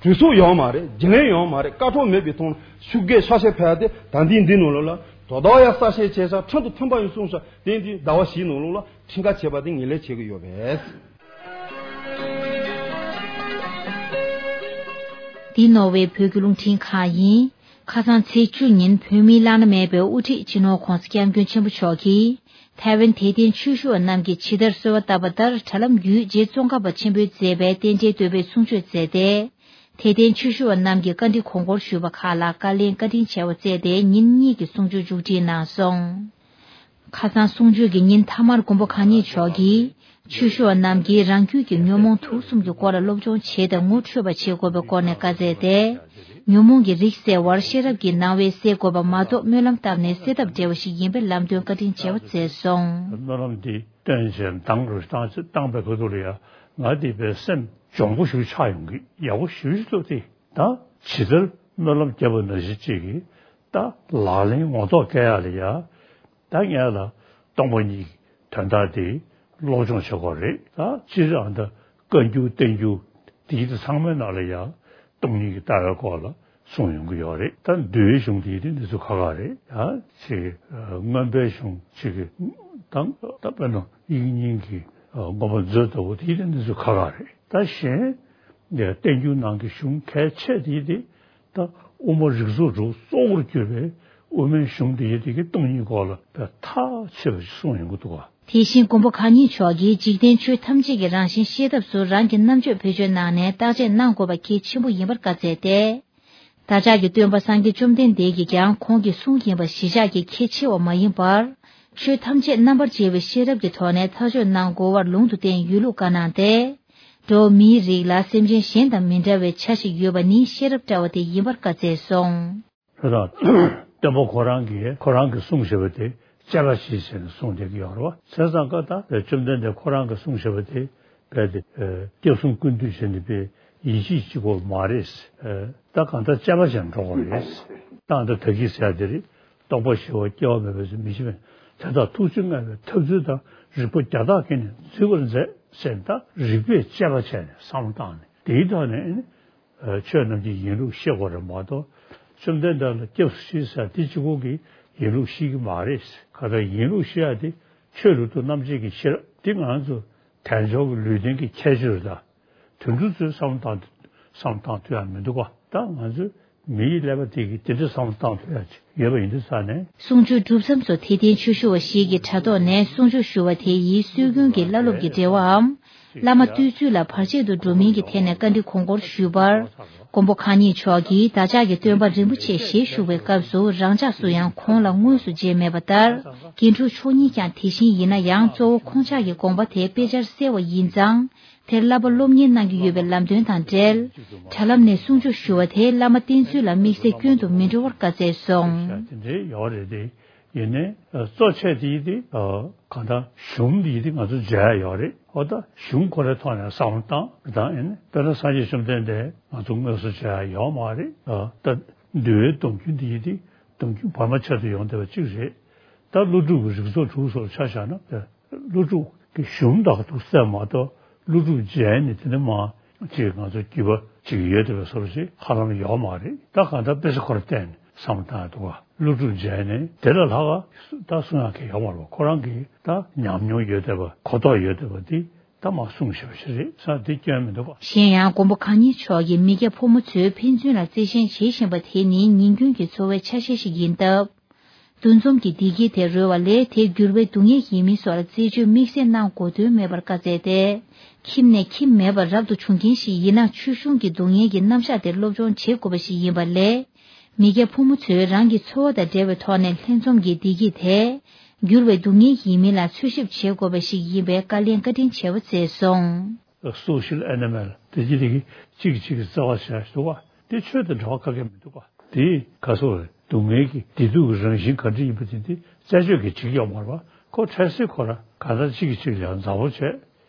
གྲོས་ཚོགས་ཡོད་མ་རེད། རྒྱུན་ལས་ཡོད་མ་རེད། བཀའ་འཁྲོལ་མེད་པའི་ཐོག་ནས་ཤུགས་རྒྱག་ཤ་ཤེད་འཕེལ་ཏེ། ད་ལྟའི་འདི་ནང་ལོགས་ལ་དོ་བདག་ཡང་གསལ་བཤད་བྱས་ཤག་ཁྲིམས་དང་མཐུན་པ་ཡིན་གསུངས་ཤག་དེ་འདི་ཟླ་བ་བཞིའི་ནང་ལོགས་ལ་ཁྲིམས་ཁ་ཕྱེ་བ་དེ་ངེས་ལེགས་བྱེད་ཀྱི་ཡོད་པས། འདི་ནོར་ཝེ་བོད་ཀྱི་རླུང་འཕྲིན་ཁང་ཡིན། ཁ་སང་ཚེས་བཅུ་ཉིན་བོད་མིའི་བླ་ན་མེད་པའི་དབུ་ཁྲིད་སྤྱི་ནོར་༧གོང་ས་༧སྐྱབས་མགོན་ཆེན་པོ་མཆོག་གིས། ཐའེ་ཝན་དད་ལྡན་ཆོས་ཞུ་བ་རྣམས་ཀྱིས་ཇི་ལྟར་གསོལ་བ་བཏབ་པ་ལྟར། དྲ་ལམ་བརྒྱུད་རྗེ་ཙོང་ཁ་པ་ཆེན་པོས་མཛད་པའི་རྟེན་འབྲེལ་བསྟོད་པའི་གསུང་ཆོས་མཛད་དེ། དད་ལྡན་ཆོས་ཞུ་བ་རྣམས་ཀྱིས་བཀའ་འདྲི་དགོངས་སྐོར་ཞུས་པ་ཁག་ལ་བཀའ་ལན་བཀའ་དྲིན་ཆེ་བ་བསྩལ་ཏེ། ཉིན་གཉིས་ཀྱི་གསུང་ཆོས་མཇུག་སྒྲིལ་གནང་སོང་། ཁ་སང་གསུང་ཆོས་ཀྱི་ཉིན་མཐའ་མར་མགོན་པོ་གང་ཉིད་མཆོག་གིས། ཆོས་ཞུ་བ་རྣམས་ཀྱིས་རང་རྒྱུད་ཀྱི་ཉོན་མོངས་དུག་གསུམ་གྱི་སྐོར་ལ་སློབ་སྦྱོང་བྱས་ཏེ་ངོ་འཕྲོད་པ་བྱེད་དགོས་པའི་སྐོར་ནས་བཀའ་སྩལ་ཏེ། ཉོན་མོངས་ཀྱི་རིགས་སེལ་བར་ཤེས་རབ་ཀྱི་སྣང་བས་སེལ་དགོས་པ་མ་གཏོགས། སྨོན་ལམ་བཏབ་ནས་སེལ་ཐབས་བྲལ་བ་ཞིག་ཡིན་པའི་ལམ་སྟོན་བཀའ་དྲིན་ཆེ་བ་མཛད་སོང་། སྨོན་ལམ་འདི་བཏོན་བྱས་མདང་རུ་བཏང་བཏང་པའི་ཁ་ཐུག་ལ་ཡ། ང་འདི་པའི་སེམས་གྱོང་པོ་ཞིག་ཆགས་ཡོང་གི། ཡག་པོ་ཞེ་པོ་ཅིག་འདུག་སྟེ། ད་ཇི་ལྟར་སྨོན་ལམ་བརྒྱབ་པ་ནང་བཞིན་ཅིག་གིས་ད་ལག་ལེན་ངོ་ཐོག་བཀལ་ཡ་ལ་ཡ། ད་ངས་ལ་སྟོང་པ་ཉིད་ཀྱི་དོན་དག་དེ་སློབ་སྦྱོང་བྱེད་དགོས་རེད། ད་སྤྱིར་ཨ་ད་བཀའ་འགྱུར་བསྟན་འགྱུར་དེ་ཚོ་ཚང་མའི་ནང་ལ་ཡང་སྟོང་ཉིད་ཀྱི་ལྟ་བའི་སྐོར་ལ་གསུངས་ཡོང་གི་ཡོད་རེད། ད་འདུལ་བའི་གཞུང་དེ་ཡི་དེ་འདི་ཚོ་ཁག་ཁག་རེད། ཡང་ཅིག་མངོན་པའི་གཞུང་ཅིག་གི་དང་ད་དཔེར་ན་དབྱིག་གཉེན་གྱི་མངོན་པ་མཛོད་ལྟ་བུ་དེ་ཡི་དེ་འདི་ཚོ་ཁག་ཁག་རེད། ད་གཞན་བསྟན་འགྱུར་ནང་གི་གཞུང་གལ་ཆེ་དེ་ཡི་དེ། ད་དབུ་མ་རིགས་ཚོགས་དྲུག་གཙོ་བོར་གྱུར་པའི་དབུ་མའི་གཞུང་འདི་ཡི་དེ་གི་སྟོང་ཉིད་སྐོར་ལ་ད་ཐག་ཆོད་པ་ཞིག་གསུངས་ཡོང་གི་འདུག་ག། དེ་བཞིན་མགོན་པོ་གང་ཉིད་མཆོག་གིས་འཇིག་རྟེན་ཆོས་ཐམས་ཅད་ཀྱི་རང་བཞིན་ཤེས་ཐབས་སུ་རང་གི་རྣམ་དཔྱོད་བེད་སྤྱོད་གནང་ནས་བརྟག་དཔྱད་གནང་དགོས་པ་གལ་ཆེན་པོ་ཡིན་པར་བཀའ་སྩལ་ཏེ། བདག་ཅག་གི་སྟོན་པ་སངས་རྒྱས་བཅོམ་ལྡན་འདས་ཀྱིས་ཀྱང་ཁོང་གི་གསུང་ཡིན་པ་གཞིར་བཞག་གིས་ཁས་འཆེ་བ་མ་ཡིན་པར། ཆོས་ཐམས་ཅད་རྣམ་པར་འབྱེད་པའི་ཤེས་རབ་ཀྱི་ཐོག་ནས་ཐག་གཅོད་གནང་དགོས་པར་ལུང་དུ་བསྟན་ཡོད་ལུགས་བཀའ་གནང་སྟེ། འགྲོ་བ་མིའི་རིགས་ལ་སེམས་ཅན་གཞན་དང་མི་འདྲ་བའི་ཆ་ཞིག་ཡོད་པ་ནི་ཤེས་རབ་བཀྲ་བ་དེ་ཡིན་པར་བཀའ་སྩལ་སོང་། ད་སྟོན་པ་ཁོ་རང་གིས་ཁོ་རང་གི་གསུང་བཞེས་པ་དེ་དཔྱད་པ་ཞིག་བྱས་ནས་གསུངས་བསྡད་ཀྱི་ཡོད་རེད་བ། བྱས་ཙང་ཀ་ད་བཅོམ་ལྡན་འདས་ཁོ་རང་གི་གསུང་བཞེས་པ་དེ་རྦད་དེ་སྐྱབས་གསུམ་ཀུན་འདུས་བྱས་ནས་པའི་ཡིད་ཆེས་གཅིག་པོ་མ་རེད། ད་གང་ལྟར་དཔྱད་པ་བྱས་ནས་འགྲོ་དགོས་རེད། ད་ད་ད་གིན་ཟེར་ཡ་དེ་རེད། རྟོག་པ་ཞི་བ་སྐྱེ་བ་མེད་པའི་མི་ཤེས་པས་དེ་དག་ཐུགས་རྗེ་མངའ་བའི་ཐབས་ཚུལ་དང་རིག་པ་རྒྱ་དག་གིས་ནི་འཛིན་པར་མཛད་ཟེར། ད་རིག་པས་དཔྱད་པ་བྱས་ནས་བསམ་བློ་བཏང་ནས་དེའི་ཐོག་ནས་ཆོས་རྣམས་ཀྱི་ཡིན་ལུགས་ཤེས་དགོས་རེད་མ་གཏོགས། བཅོམ་ལྡན་འདས་ལ་སྐྱབས་སུ་མཆི་ཟེར་དེ་གཅིག་པོ་གིས་ཡིན་ལུགས་ཤེས་ཀྱི་མ་རེད། ག་ད་ཡིན་ལུགས་ཤེས་ཡ་དེ་ཆོས་ལུགས་དང་རྣམ་འབྱེད་ཀྱི་ཤེས་རབ་དེ་ང་ཚོ་དལ་འབྱོར་གྱི་ལུས་རྟེན་གྱི་ཁྱད་ཆོས་རེད་ད། དོན་གྲུབ་ཚོས་བསམ་བློ་བཏང་བསམ་བློ་བཏང་ཐུབ་ཡ་མི་འདུག་ག་ད་ང་ཚོས་མི་ཡི་ཀླད་པ་དེ་གིས་དེ་འདྲ་བསམ་བློ་བཏང་ཐུབ་ཡ་ཅིག་ཡོད་པ་ཡིན་དུས་ཙང་ནས། གསུང་ཆོས་སྒྲུབ་མཚམས་སུ་དད་ལྡན་ཆོས་ཞུ་བ་ཞིག་གིས་དྲ་ཐོག་ནས་གསུང་ཆོས་ཞུ་བ་དེ་ཡིས་སྲོལ་རྒྱུན་གྱི་བླ་སློབ་ཀྱི་འབྲེལ་བའམ། བླ་མ་བསྟེན་ཚུལ་ལ་བར་ཆད་དུ་འགྲོ་མིན་གྱི་ཐད་ནས་བཀའ་འདྲི་གོང་བཀུར་ཞུས་པར། མགོན་པོ་གང་ཉིད་མཆོག་གིས་བདག་ཅག་གི་སྟོན་པ་རིན་པོ་ཆེ་ཞེས་ཞུ་བའི་སྐབས་སུ་རང་ཅག་སུ་ཡང་ཁོང་ལ་དངོས་སུ་མཇལ་མེད་པ་ལྟར། རྒན་དྲུང་མཆོག་ཉིད་ཀྱང་དེ་བཞིན་ཡིན་ན་ཡང་གཙོ་བོ་ཁོང་ཅག་གི་དགོངས་པ་དེ་དཔེ་ཆར་གསལ་བ་ཡིན་ཙང་། དེར་བསླབ་པ་སློབ་གཉེར་གནང་གི་ཡོད་པའི་ལམ་སྟོན་དང་འབྲེལ། དྲ་ལམ་ནས་གསུང་ཆོས་ཞུ་བ་དེ་བླ་མ་བསྟེན་ཚུལ་ལ་དམིགས་བསལ་སྐྱོན་དུ་མི་འགྲོ་བར་བཀའ་སྩལ་སོང་། དེ་འདྲའི་ཡོད་རེད་དེ། ཡིན་ནའི་གཙོ་ཆེ་དེ་ཡིན་དེ། གང་ལྟར་གཞུང་འདི་ཡིན་དེ་ང་ཚོ་མཇལ་ཡ་ཡོད་རེད། འོ་ད་གཞུང་ཁོ་རའི་ཐོག་ནས་བསམ་བློ་བཏང་དང་ཡིན་ནའི་དཔེར་ན་སངས་རྒྱས་བཅོམ་ལྡན་འདས་ང་ཚོ་དངོས་སུ་མཇལ་ཡ་ཡོད་མ་རེད། ད་འདུལ་བའི་སྡོམ་རྒྱུན་འདི་ཡིན་དེ་སྡོམ་རྒྱུན་བར་མ་ཆད་དུ་ཡོང་བསྡད་པ་གཅིག་རེད། ད་ཀླུ་སྒྲུབ་ཀྱི་རིགས་ཚོགས་དྲུག་སོགས་ཆ་བཞག་ན། ཀླུ་སྒྲུབ་ཀྱི་གཞུང་དག་ཏུ་གསལ་མ་གཏོགས་ཀླུ་སྒྲུབ་མཇལ་ནས་དེ་ནས་མ་ཅིག་ང་ཚོ་རྒྱུད་པ་ཅིག་ཡོད་བསྡད་པའི་བཟོ་འདྲ་ཅིག་ཧ་ལམ་ཡོད་མ་རེད། ད་གང་ལྟར་དཔེ་ཆ་ཁོ་ར་བལྟས་ནས་བསམ་བློ་བཏང་ཡ་འདུག་ག་ཀླུ་སྒྲུབ་མཇལ་ནས་དེ་ལ་ལྷག་ག་ད་གསུང་ཡ་གང་ཡོད་མ་རེད་པ། ཁོ་རང་གིས་ད་ཉམས་མྱོང་ཡོད་བསྡད་པ་གོ་རྟོགས་ཡོད་བསྡད་པ་འདི་ད་མ་གསུངས་བཞག་པ་ཞིག་རེད་ས་འདི་སྐྱོན་མི་འདུག་ག་གཞན་ཡང་མགོན་པོ་གང་ཉིད་མཆོག་གིས་མི་སྐྱ་ཕོ་མོ་ཚོས་ཕན་ཚུན་ལ་བརྩེ་ཞེན་བྱེད་བཞིན་པ་དེ་ནི་ཉིན་རྒྱུན་གྱི་འཚོ་བའི་ཆ་ཤས་ཤིག་ཡིན་སྟབས། འདུ་འཛོམས་ཀྱི་བདེ་སྐྱིད་དེ་རོལ་བ་ལས་དེ་འགྱུར་བའི་སྡུག་བསྔལ་ཡིན་མིན་སོགས་ལ་རྩད་གཅོད་དམིགས་བསལ་གནང་དགོས་དོན་མེད་པར་བཀའ་སྩལ་ཏེ། ཁྱིམ་ནས་ཁྱིམ་མེད་པར་རབ་ཏུ་བྱུང་མཁན་ཞིག་ཡིན་ན་ཆོས་གཞུང་གི་སྡུག་བསྔལ་གྱི་རྣམ་གཞག་དེ་སློབ་སྦྱོང་བྱེད་དགོས་པ་ཞིག་ཡིན་པ་ལས། མི་སྐྱ་ཕོ་མོ་ཚོས་རང་གི་འཚོ་བ་དང་འབྲེལ་བའི་ཐོག་ནས་ལྷན་འཛོམས་ཀྱི་བདེ་སྐྱིད་དེ། འགྱུར་བའི་སྡུག་བསྔལ་ཡིན་མིན་ལ་འཚོལ་ཞིབ་བྱེད་དགོས་པ་ཞིག་ཡིན་པའི་བཀའ་ལན་བཀའ་དྲིན་ཆེ་བ་སྩལ་སོང་། སོ་ཤལ་ཨེ་ནི་མལ་དེ་གྱི་རིགས་གཅིག་གིས་གཅིག་གི་བརྩེ་བ་བྱས་འདུག་པ་དེ་ཆོས་དང་འབྲེལ་བ་ག་གེ་མི་འདུག་པ། དེས་ག་སོ་རེད། སྡུག་བསྔལ་གྱི་བདེ་སྡུག་གི་རང་བཞིན་ག་འདྲ་ཡིན་པ་དེ་འདི་རྩད་གཅོད་ཀྱི་བྱེད་ཀྱི་ཡོད་མ་རེད་པ། ཁོ་འཕྲལ་སེལ་ཁོ་ར་ག་ད་གཅིག་གིས་གཅིག་ལ་ཡང་མཛའ་བོ་བྱས།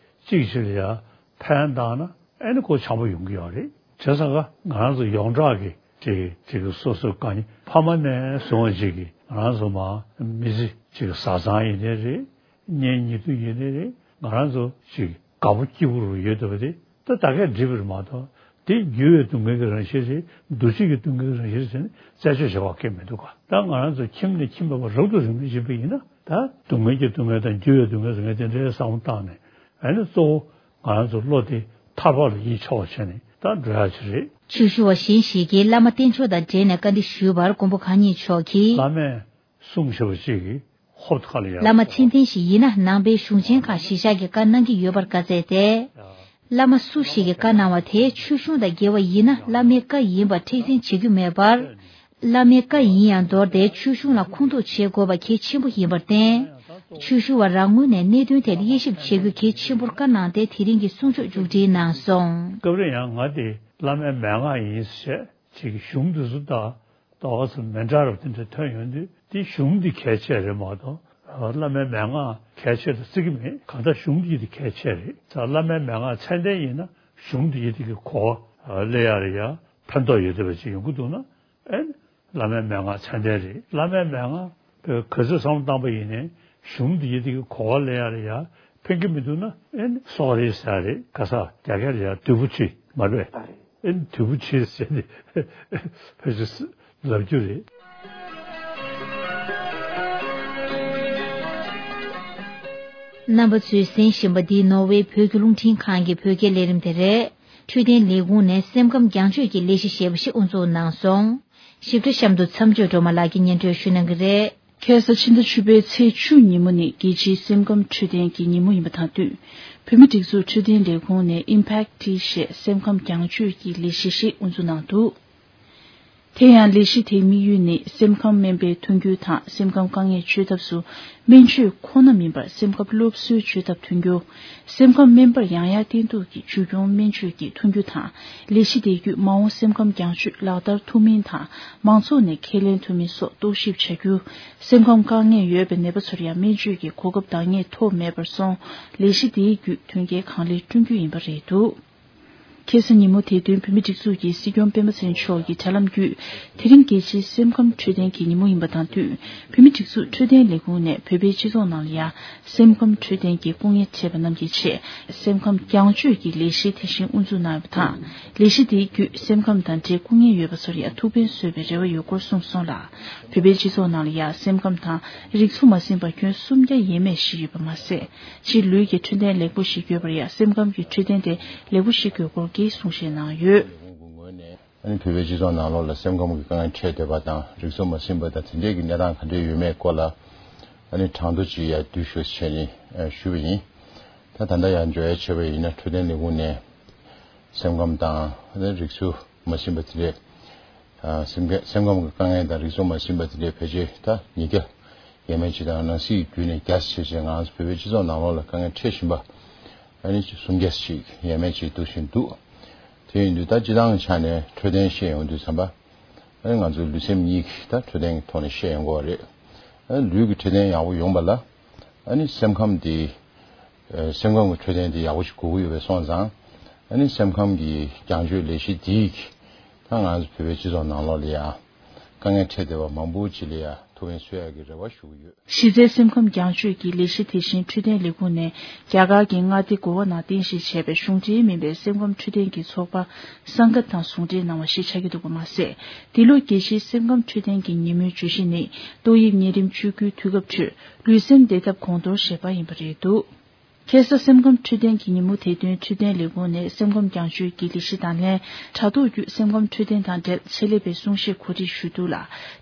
གཅིག་གིས་གཅིག་ལ་ཡང་ཕན་བཏགས་ན་ཨེ་ནི་ཁོ་བྱམས་པོ་ཡོང་གི་ཡོད་རེད། བྱས་ཙང་ཀ་ང་རང་ཚོ་ཡོངས་གྲགས་ཀྱི་ཅིག་ཅིག་སོ་སོ་གང་ཕ་མ་ནས་བཟུང་བ་ཅིག་གིས་ང་རང་ཚོ་མ་མི་ཚེ་ཅིག་བཟའ་ཚང་ཡིན་ནའི་རེད། གཉེན་ཉེ་དུ་ཡིན་ནའི་རེད། ང་རང་ཚོ་ཅིག་དགའ་པོ་སྐྱིད་པོ་རུ་ཡོད་བསྡད་པ་དེ་ད་ད་གས་འགྲིག་པ་རེད་མ་གཏོགས་དེ་འགྱུར་བའི་སྡུག་བསྔལ་གྱི་རང་བཞིན་རེད། འདུ་བྱེད་ཀྱི་སྡུག་བསྔལ་གྱི་རང་བཞིན་རེད་ཟེར་ནས་རྩད་གཅོད་བྱེད་པ་གལ་མི་འདུག་ག་ད་ང་རང་ཚོ་ཁྱིམ་ནས་ཁྱིམ་མེད་པར་རབ་ཏུ་རིང་པོ་ཕྱིན་པ་ཡིན་ན་ད་སྡུག་བསྔལ་གྱི་སྡུག་བསྔལ་དང་འགྱུར་བའི་སྡུག་བསྔལ་ཟེར་མཁན་དེ་འདྲའི་བསམ་བློ་བཏང་ནས་ཨ་ནི་གཙོ་བོ་ང་རང་ཚོ་བློ་དེ་ཐར་པ་ལ་ཡིད་ཆེས་པ་བྱས་ནས་ད་འགྲོ་ཡ་ཅིག་རེད། ཆོས་ཞུ་བ་གཞན་ཞིག་གིས་བླ་མ་བསྟེན་ཕྱོགས་དང་འབྲེལ་ནས་བཀའ་འདྲི་ཞུས་པར་མགོན་པོ་གང་ཉིད་མཆོག་གིས། བླ་མས་གསུངས་བཞག་པ་ཅིག་གིས་ཧོབ་ཁ་ལ་ཡ། བླ་མ་མཚན་ལྡན་ཞིག་ཡིན་ན་ནང་པའི་གཞུང་ཆེན་ཁག་གཞི་བཞག་གི་བཀའ་གནང་གི་ཡོད་པར་བཀའ་སྩལ་ཏེ། བླ་མ་སུ་ཞིག་གིས་བཀའ་གནང་བ་དེ་ཆོས་གཞུང་དང་འགལ་བ་ཡིན་ན་བླ་མའི་བཀའ་ཡིན་པར་མཁྲེགས་འཛིན་བྱེད་རྒྱུ་མེད་པར། བླ་མའི་བཀའ་ཡིན་ཡང་མདོར་དེ་ཆོས་གཞུང་ལ་ཁུངས་གཏུགས་བྱེད་དགོས་པ་གལ་ཆེན་པོ་ཡིན་པར་བརྟེན། ཆོས་ཞུ་བ་རང་ངོས་ནས་གནད་དོན་དེར་དབྱེ་ཞིབ་བྱེད་རྒྱུ་གལ་ཆེན་པོར་བཀའ་གནང་སྟེ་དེ་རིང་གི་གསུང་ཆོས་མཇུག་སྒྲིལ་གནང་སོང་། སྐབས་རེ་ཡང་ང་དེ་བླ་མའི་མན་ངག་ཡིན་ཞེས་ཅིག་གཞུང་འདི་ཚོ་དང་ཏོག་ཙམ་མི་འདྲ་རབས་དེ་འདྲ་ཐོན་ཡོང་དུས་དེ་གཞུང་འདི་གལ་ཆེ་རེད་མ་གཏོགས་བླ་མའི་མན་ངག་གལ་ཆེ་རེད་བརྩི་གི་མེད། གང་ལྟར་གཞུང་འདི་དེ་གལ་ཆེ་རེད། ད་བླ་མའི་མན་ངག་ཚད་ལྡན་ཡིན་ན་གཞུང་འདི་དེ་གི་གོ་བ་ལེན་ཡ་ལ་ཡ་ཕན་ཐོགས་ཡོད་བསྡད་པ་ཅིག་ཡོང་གི་འདུག་ན། ཨེ་ནི་བླ་མའི་མན་ངག་ཚད་ལྡན་རེད། བླ་མའི་མན་ངག་ག་ཚོད་བསམ་བློ་བཏང་པ་ཡིན་ནའི་གཞུང་འདི་ཡི་དེ་གི་གོ་བ་ལེན་ཡ་ལ་ཡ་ཕན་གི་མི་འདུག་ན་ཨེ་ནི་སོག་རེད་ཟེར་རེད། ག་ས་རྒྱ་སྐད་ལ་ཡ་དུ་བུ་ཆི་མ་རེད། ཨེ་ནི་དུ་བུ་ཆི་ཟེར་ནས་ཕལ་ཆེར་ལབ་རྒྱུ་རེད། རྣམ་པ་ཚོས་གསན་བཞིན་པ་འདི་ནོར་ཝེ་བོད་ཀྱི་རླུང་འཕྲིན་ཁང་གི་བོད་སྐད་ལས་རིམ་དེ་རེད། འཕྲོད་བསྟེན་ལས་ཁུངས་ནས་སེམས་ཁམས་རྒྱང་སྐྱོད་ཀྱི་ལས་གཞི་ཞེས་པ་ཞིག་དབུ་འཛུགས་གནང་སོང་། ཞིབ་ཕྲ་གཤམ་དུ་མཚམས་གཅོད་སྒྲོལ་མ་ལགས་ཀྱིས་སྙན་སྒྲོན་ཞུ་གནང་གི་རེད། ཁ་སང་ཕྱི་ཟླ་བཅུ་པའི་ཚེས་བཅུ་ཉིན་མོ་ནི་རྒྱལ་སྤྱིའི་སེམས་ཁམས་འཕྲོད་བསྟེན་གྱི་ཉིན་མོ་ཡིན་པ་དང་བསྟུན། བོད་མིའི་སྒྲིག་འཛུགས་འཕྲོད་བསྟེན་ལས་ཁུངས་ནས་Impact Tea ཞེས་སེམས་ཁམས་རྒྱང་སྐྱོད་ཀྱི་ལས་གཞི་ཞིག་དབུ་འཛུགས་གནང་འདུག་དེ་ཡང་ལས་གཞི་དེའི་དམིགས་ཡུལ་ནི་སེམས་ཁམས་སྨན་པའི་མཐུན་འགྱུར་དང་སེམས་ཁམས་དཀའ་ངལ་བཅོས་ཐབས་སུ་སྨན་བཅོས་ཁོ་ན་མིན་པར་སེམས་ཁམས་སློབ་གསོའི་བཅོས་ཐབས་མཐུན་འགྱུར། སེམས་ཁམས་སྨན་པར་ཡང་ཡང་བསྟེན་གཏུག་གི་བཅོས་སྐྱོང་སྨན་བཅོས་ཀྱི་མཐུན་འགྱུར་དང་ལས་གཞི་དེ་བརྒྱུད་མ་འོངས་སེམས་ཁམས་རྒྱང་སྐྱོད་ལག་བསྟར་ཐུབ་མིན་དང་མང་ཚོགས་ནས་ཁས་ལེན་ཐུབ་མིན་སོགས་རྟོག་ཞིབ་བྱ་རྒྱུ། སེམས་ཁམས་དཀའ་ངལ་ཡོད་པའི་ནད་པ་ཚོར་ཡང་སྨན་བཅོས་ཀྱི་གོ་སྐབས་འདང་ངེས་ཐོབ་མེད་པར་སོང་ལས་གཞི་དེའི་བརྒྱུད་མཐུན་རྐྱེན་གང་ལེགས་བསྐྲུན་རྒྱུ་ཡིན་པ་རེད་འདུག་ཁ་སང་ཉིན་མོ་དེ་བསྟུན་བོད་མིའི་སྒྲིག་འཛུགས་ཀྱི་སྲིད་སྐྱོང་སྤེན་པ་ཚེ་རིང་མཆོག་གི་དྲ་ལམ་བརྒྱུད། དེ་རིང་རྒྱལ་སྤྱིའི་སེམས་ཁམས་འཕྲོད་བསྟེན་གྱི་ཉིན་མོ་ཡིན་པ་དང་བསྟུན། བོད་མིའི་སྒྲིག་འཛུགས་འཕྲོད་བསྟེན་ལས་ཁུངས་ནས་བོད་པའི་སྤྱི་ཚོགས་ནང་ལ་ཡང་སེམས་ཁམས་འཕྲོད་བསྟེན་གྱི་སྐུ་ངལ་འཕྲད་པ་རྣམས་ཀྱི་ཆེད། སེམས་ཁམས་རྒྱང་སྐྱོད་ཀྱི་ལས་གཞི་དེ་བཞིན་དབུ་འཛུགས་གནང་ཡོད་པ་དང་། ལས་གཞི་དེའི་བརྒྱུད་སེམས་ཁམས་དང་འབྲེལ་སྐུ་ངལ་ཡོད་པ་ཚོར་ཡང་ཐུགས་ཕན་གསོས་པའི་རེ་བ་ཡོད་སྐོར་གསུངས་སོང་ལ། བོད་པའི་སྤྱི་ཚོགས་ནང་ལ་ཡང་སེམས་ཁམས་དང་རིགས་ཚོ་མ་ཟིན་པ་ཁྱོན་སུམ་བརྒྱ་ཡས་མས་ཤིག་ཡོད་པ་མ་ཟད། ཕྱིའི་ལུས་ཀྱི་འཕྲོད་བསྟེན་ལེགས་པོ་ཞིག་དགོས་པར་ཡང་སེམས་ཁམས་ཀྱི་འཕྲོད་བསྟེན་དེ་ལེགས་པོ་ཞིག་དགོས་སྐོར་གྱི་གསུང་བཤད་གནང་ཡོད། ཨ་ནི་བོད་པའི་སྤྱི་ཚོགས་ནང་ལོགས་ལ་སེམས་ཁམས་ཀྱི་དཀའ་ངལ་འཕྲད་བསྡད་པ་དང་། རིགས་ཚོ་མ་ཟིན་པ་དང་དེ་འདྲས་ཀྱི་གནས་སྟངས་ག་འདྲས་ཡོད་མེད་སྐོར་ལ། ཨ་ནི་གྲངས་ཐོ་ཅིག་ཡར་བསྡུས་ཤོག་ཅེས་ནས་ཞུས་པ་ཡིན། ད་ད་ལྟ་ཡར་འཇོག་ཡ་བྱས་པ་ཡིན་ན། འཕྲོད་བསྟེན་ལས་ཁུངས་ནས་སེམས་ཁམས་དང་། ཨ་ནི་རིགས་ཚོ་མ་ཟིན་པ་དེ་འདྲས། ཨ་སེམས་ཁ་སེམས་ཁམས་ཀྱི་དཀའ་ངལ་དང་རིགས་ཚོ་མ་ཟིན་པ་དེ་འདྲས་ཕལ་ཆེར་ད་ཉིས་བརྒྱ་ཡས་མས་ཅིག་དང་ནང་སྲིད་བརྒྱུད་ནས་བརྒྱ་ཆེ་ཆེ་ང་ཚོ་བོད་པའི་སྤྱི་ཚོགས་ནང་ལོགས་ལ་དཀའ་ངལ་འཕྲད་བཞིན་པ། ཨ་ནི་སུམ་བརྒྱ་ཞིག་ཡས་མས་ཅིག་འདུག་བཞིན་འདུག་དེ་ཡིན་དུས་ད་སྤྱི་བཏང་གི་ཆ་ནས་འཕྲོད་བསྟེན་བཤད་ཡོང་དུས་ཙམ་པ། ཨ་ནི་ང་ཚོའི་ལུས་སེམས་གཉིས་ཀྱི་ད་འཕྲོད་བསྟེན་གྱི་ཐོག་ནས་བཤད་ཡོང་གི་ཡོད་རེད། ཨ་ནི་ལུས་ཀྱི་འཕྲོད་བསྟེན་ཡག་པོ་ཡོང་པ་ལ། ཨ་ནི་སེམས་ཁམས་དེ། ཨ་སེམས་ཁམས་ཀྱི་འཕྲོད་བསྟེན་དེ་ཡག་པོ་ཞིག་དགོས་ཀྱི་ཡོད་པས་སོང་ཙང་། ཨ་ནི་སེམས་ཁམས་ཀྱི་རྒྱང་སྐྱོད་ལས་གཞི་དེ་ད་ང་ཚོ་བོད་པའི་སྤྱི་ཚོགས་ནང་ལོགས་ལ་ཡང་དཀའ་ངལ་འཕྲད་བསྡད་པ་མང་པོ་ཅིག་ལ་ཡང་ཐུགས་ཕན་གསོས་ཡག་གི་རེ་བ་ཞུ་གི་ཡོད། གཞི་རྩའི་སེམས་ཁམས་རྒྱང་སྐྱོད་ཀྱི་ལས་གཞི་དེ་བཞིན་འཕྲོད་བསྟེན་ལས་ཁུངས་ནས་རྒྱ་གར་གྱི་མངའ་སྡེ་གོ་བ་ནང་རྟེན་གཞི་བྱས་པའི་གཞུང་འབྲེལ་མིན་པའི་སེམས་ཁམས་འཕྲོད་བསྟེན་གྱི་ཚོགས་པ་སངྒ་དང་ཟུང་འབྲེལ་གནང་བ་ཞིག་ཆགས་ཀྱི་འདུག་པ་མ་ཟད། འདི་ལོ་རྒྱལ་སྤྱིའི་སེམས་ཁམས་འཕྲོད་བསྟེན་གྱི་ཉིན་མོའི་བརྗོད་གཞི་ནི། ཏོག་དབྱིབས་གཉན་རིམས་བཅོས་སྐུལ་དུས་སྐབས་ཁྲོད་ལུས་སེམས་བདེ་ཐབས་གོང་མཐོར་ཞེས་པ་ཡིན་པ་རེད་འདུག་ཁ་སང་སེམས་ཁམས་འཕྲོད་བསྟེན་གྱི་ཉིན་མོ་དེ་བསྟུན་འཕྲོད་བསྟེན་ལས་ཁུངས་ནས་སེམས་ཁམས་རྒྱང་སྐྱོད་ཀྱི་ལས་གཞི་དང་ལྷན། དྲ་ཐོག་བརྒྱུད་སེམས་ཁམས་འཕྲོད་བསྟེན་དང་འབྲེལ་ཆེད་ལས་པའི་གསུང་བཤད་གོ་སྒྲིག་ཞུས་འདུག་ལ།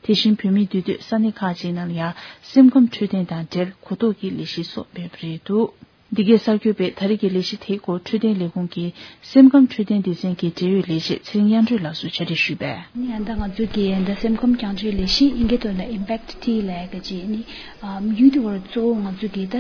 དེ་བཞིན་བོད་མིའི་འདུས་སྡོད་ས་གནས་ཁག་ཅིག་ནང་ལ་ཡང་སེམས་ཁམས་འཕྲོད་བསྟེན་དང་འབྲེལ་གོ་རྟོགས་ཀྱི་ལས་གཞི་སོགས་སྤེལ་བ་རེད་འདུག་འདི་གའི་གསར་འགོད་པས་ད་རེས་ཀྱི་ལས་གཞི་དེའི་སྐོར་འཕྲོད་བསྟེན་ལས་ཁུངས་ཀྱི་སེམས་ཁམས་འཕྲོད་བསྟེན་སྡེ་ཚན་གྱི་འབྲེལ་ཡོད་ལས་བྱེད་ཚེ་རིང་དབྱངས་སྒྲོན་ལགས་སུ་གྲ་སྒྲིག་ཞུས་པས། ནི་ཨ་ད་ང་ཚོ་གི་ཨ་ད་སེམས་ཁམས་རྒྱང་སྐྱོད་ལས་གཞི་ཨིན་སྐད་ཐོག་ལ་ཨིམ་པེག་ཊི་ལབ་ཡག་ཅིག་ནི་ཨ་ཡུལ་དེ་བར་གཙོ་བོ་ང་ཚོ་གི་ད་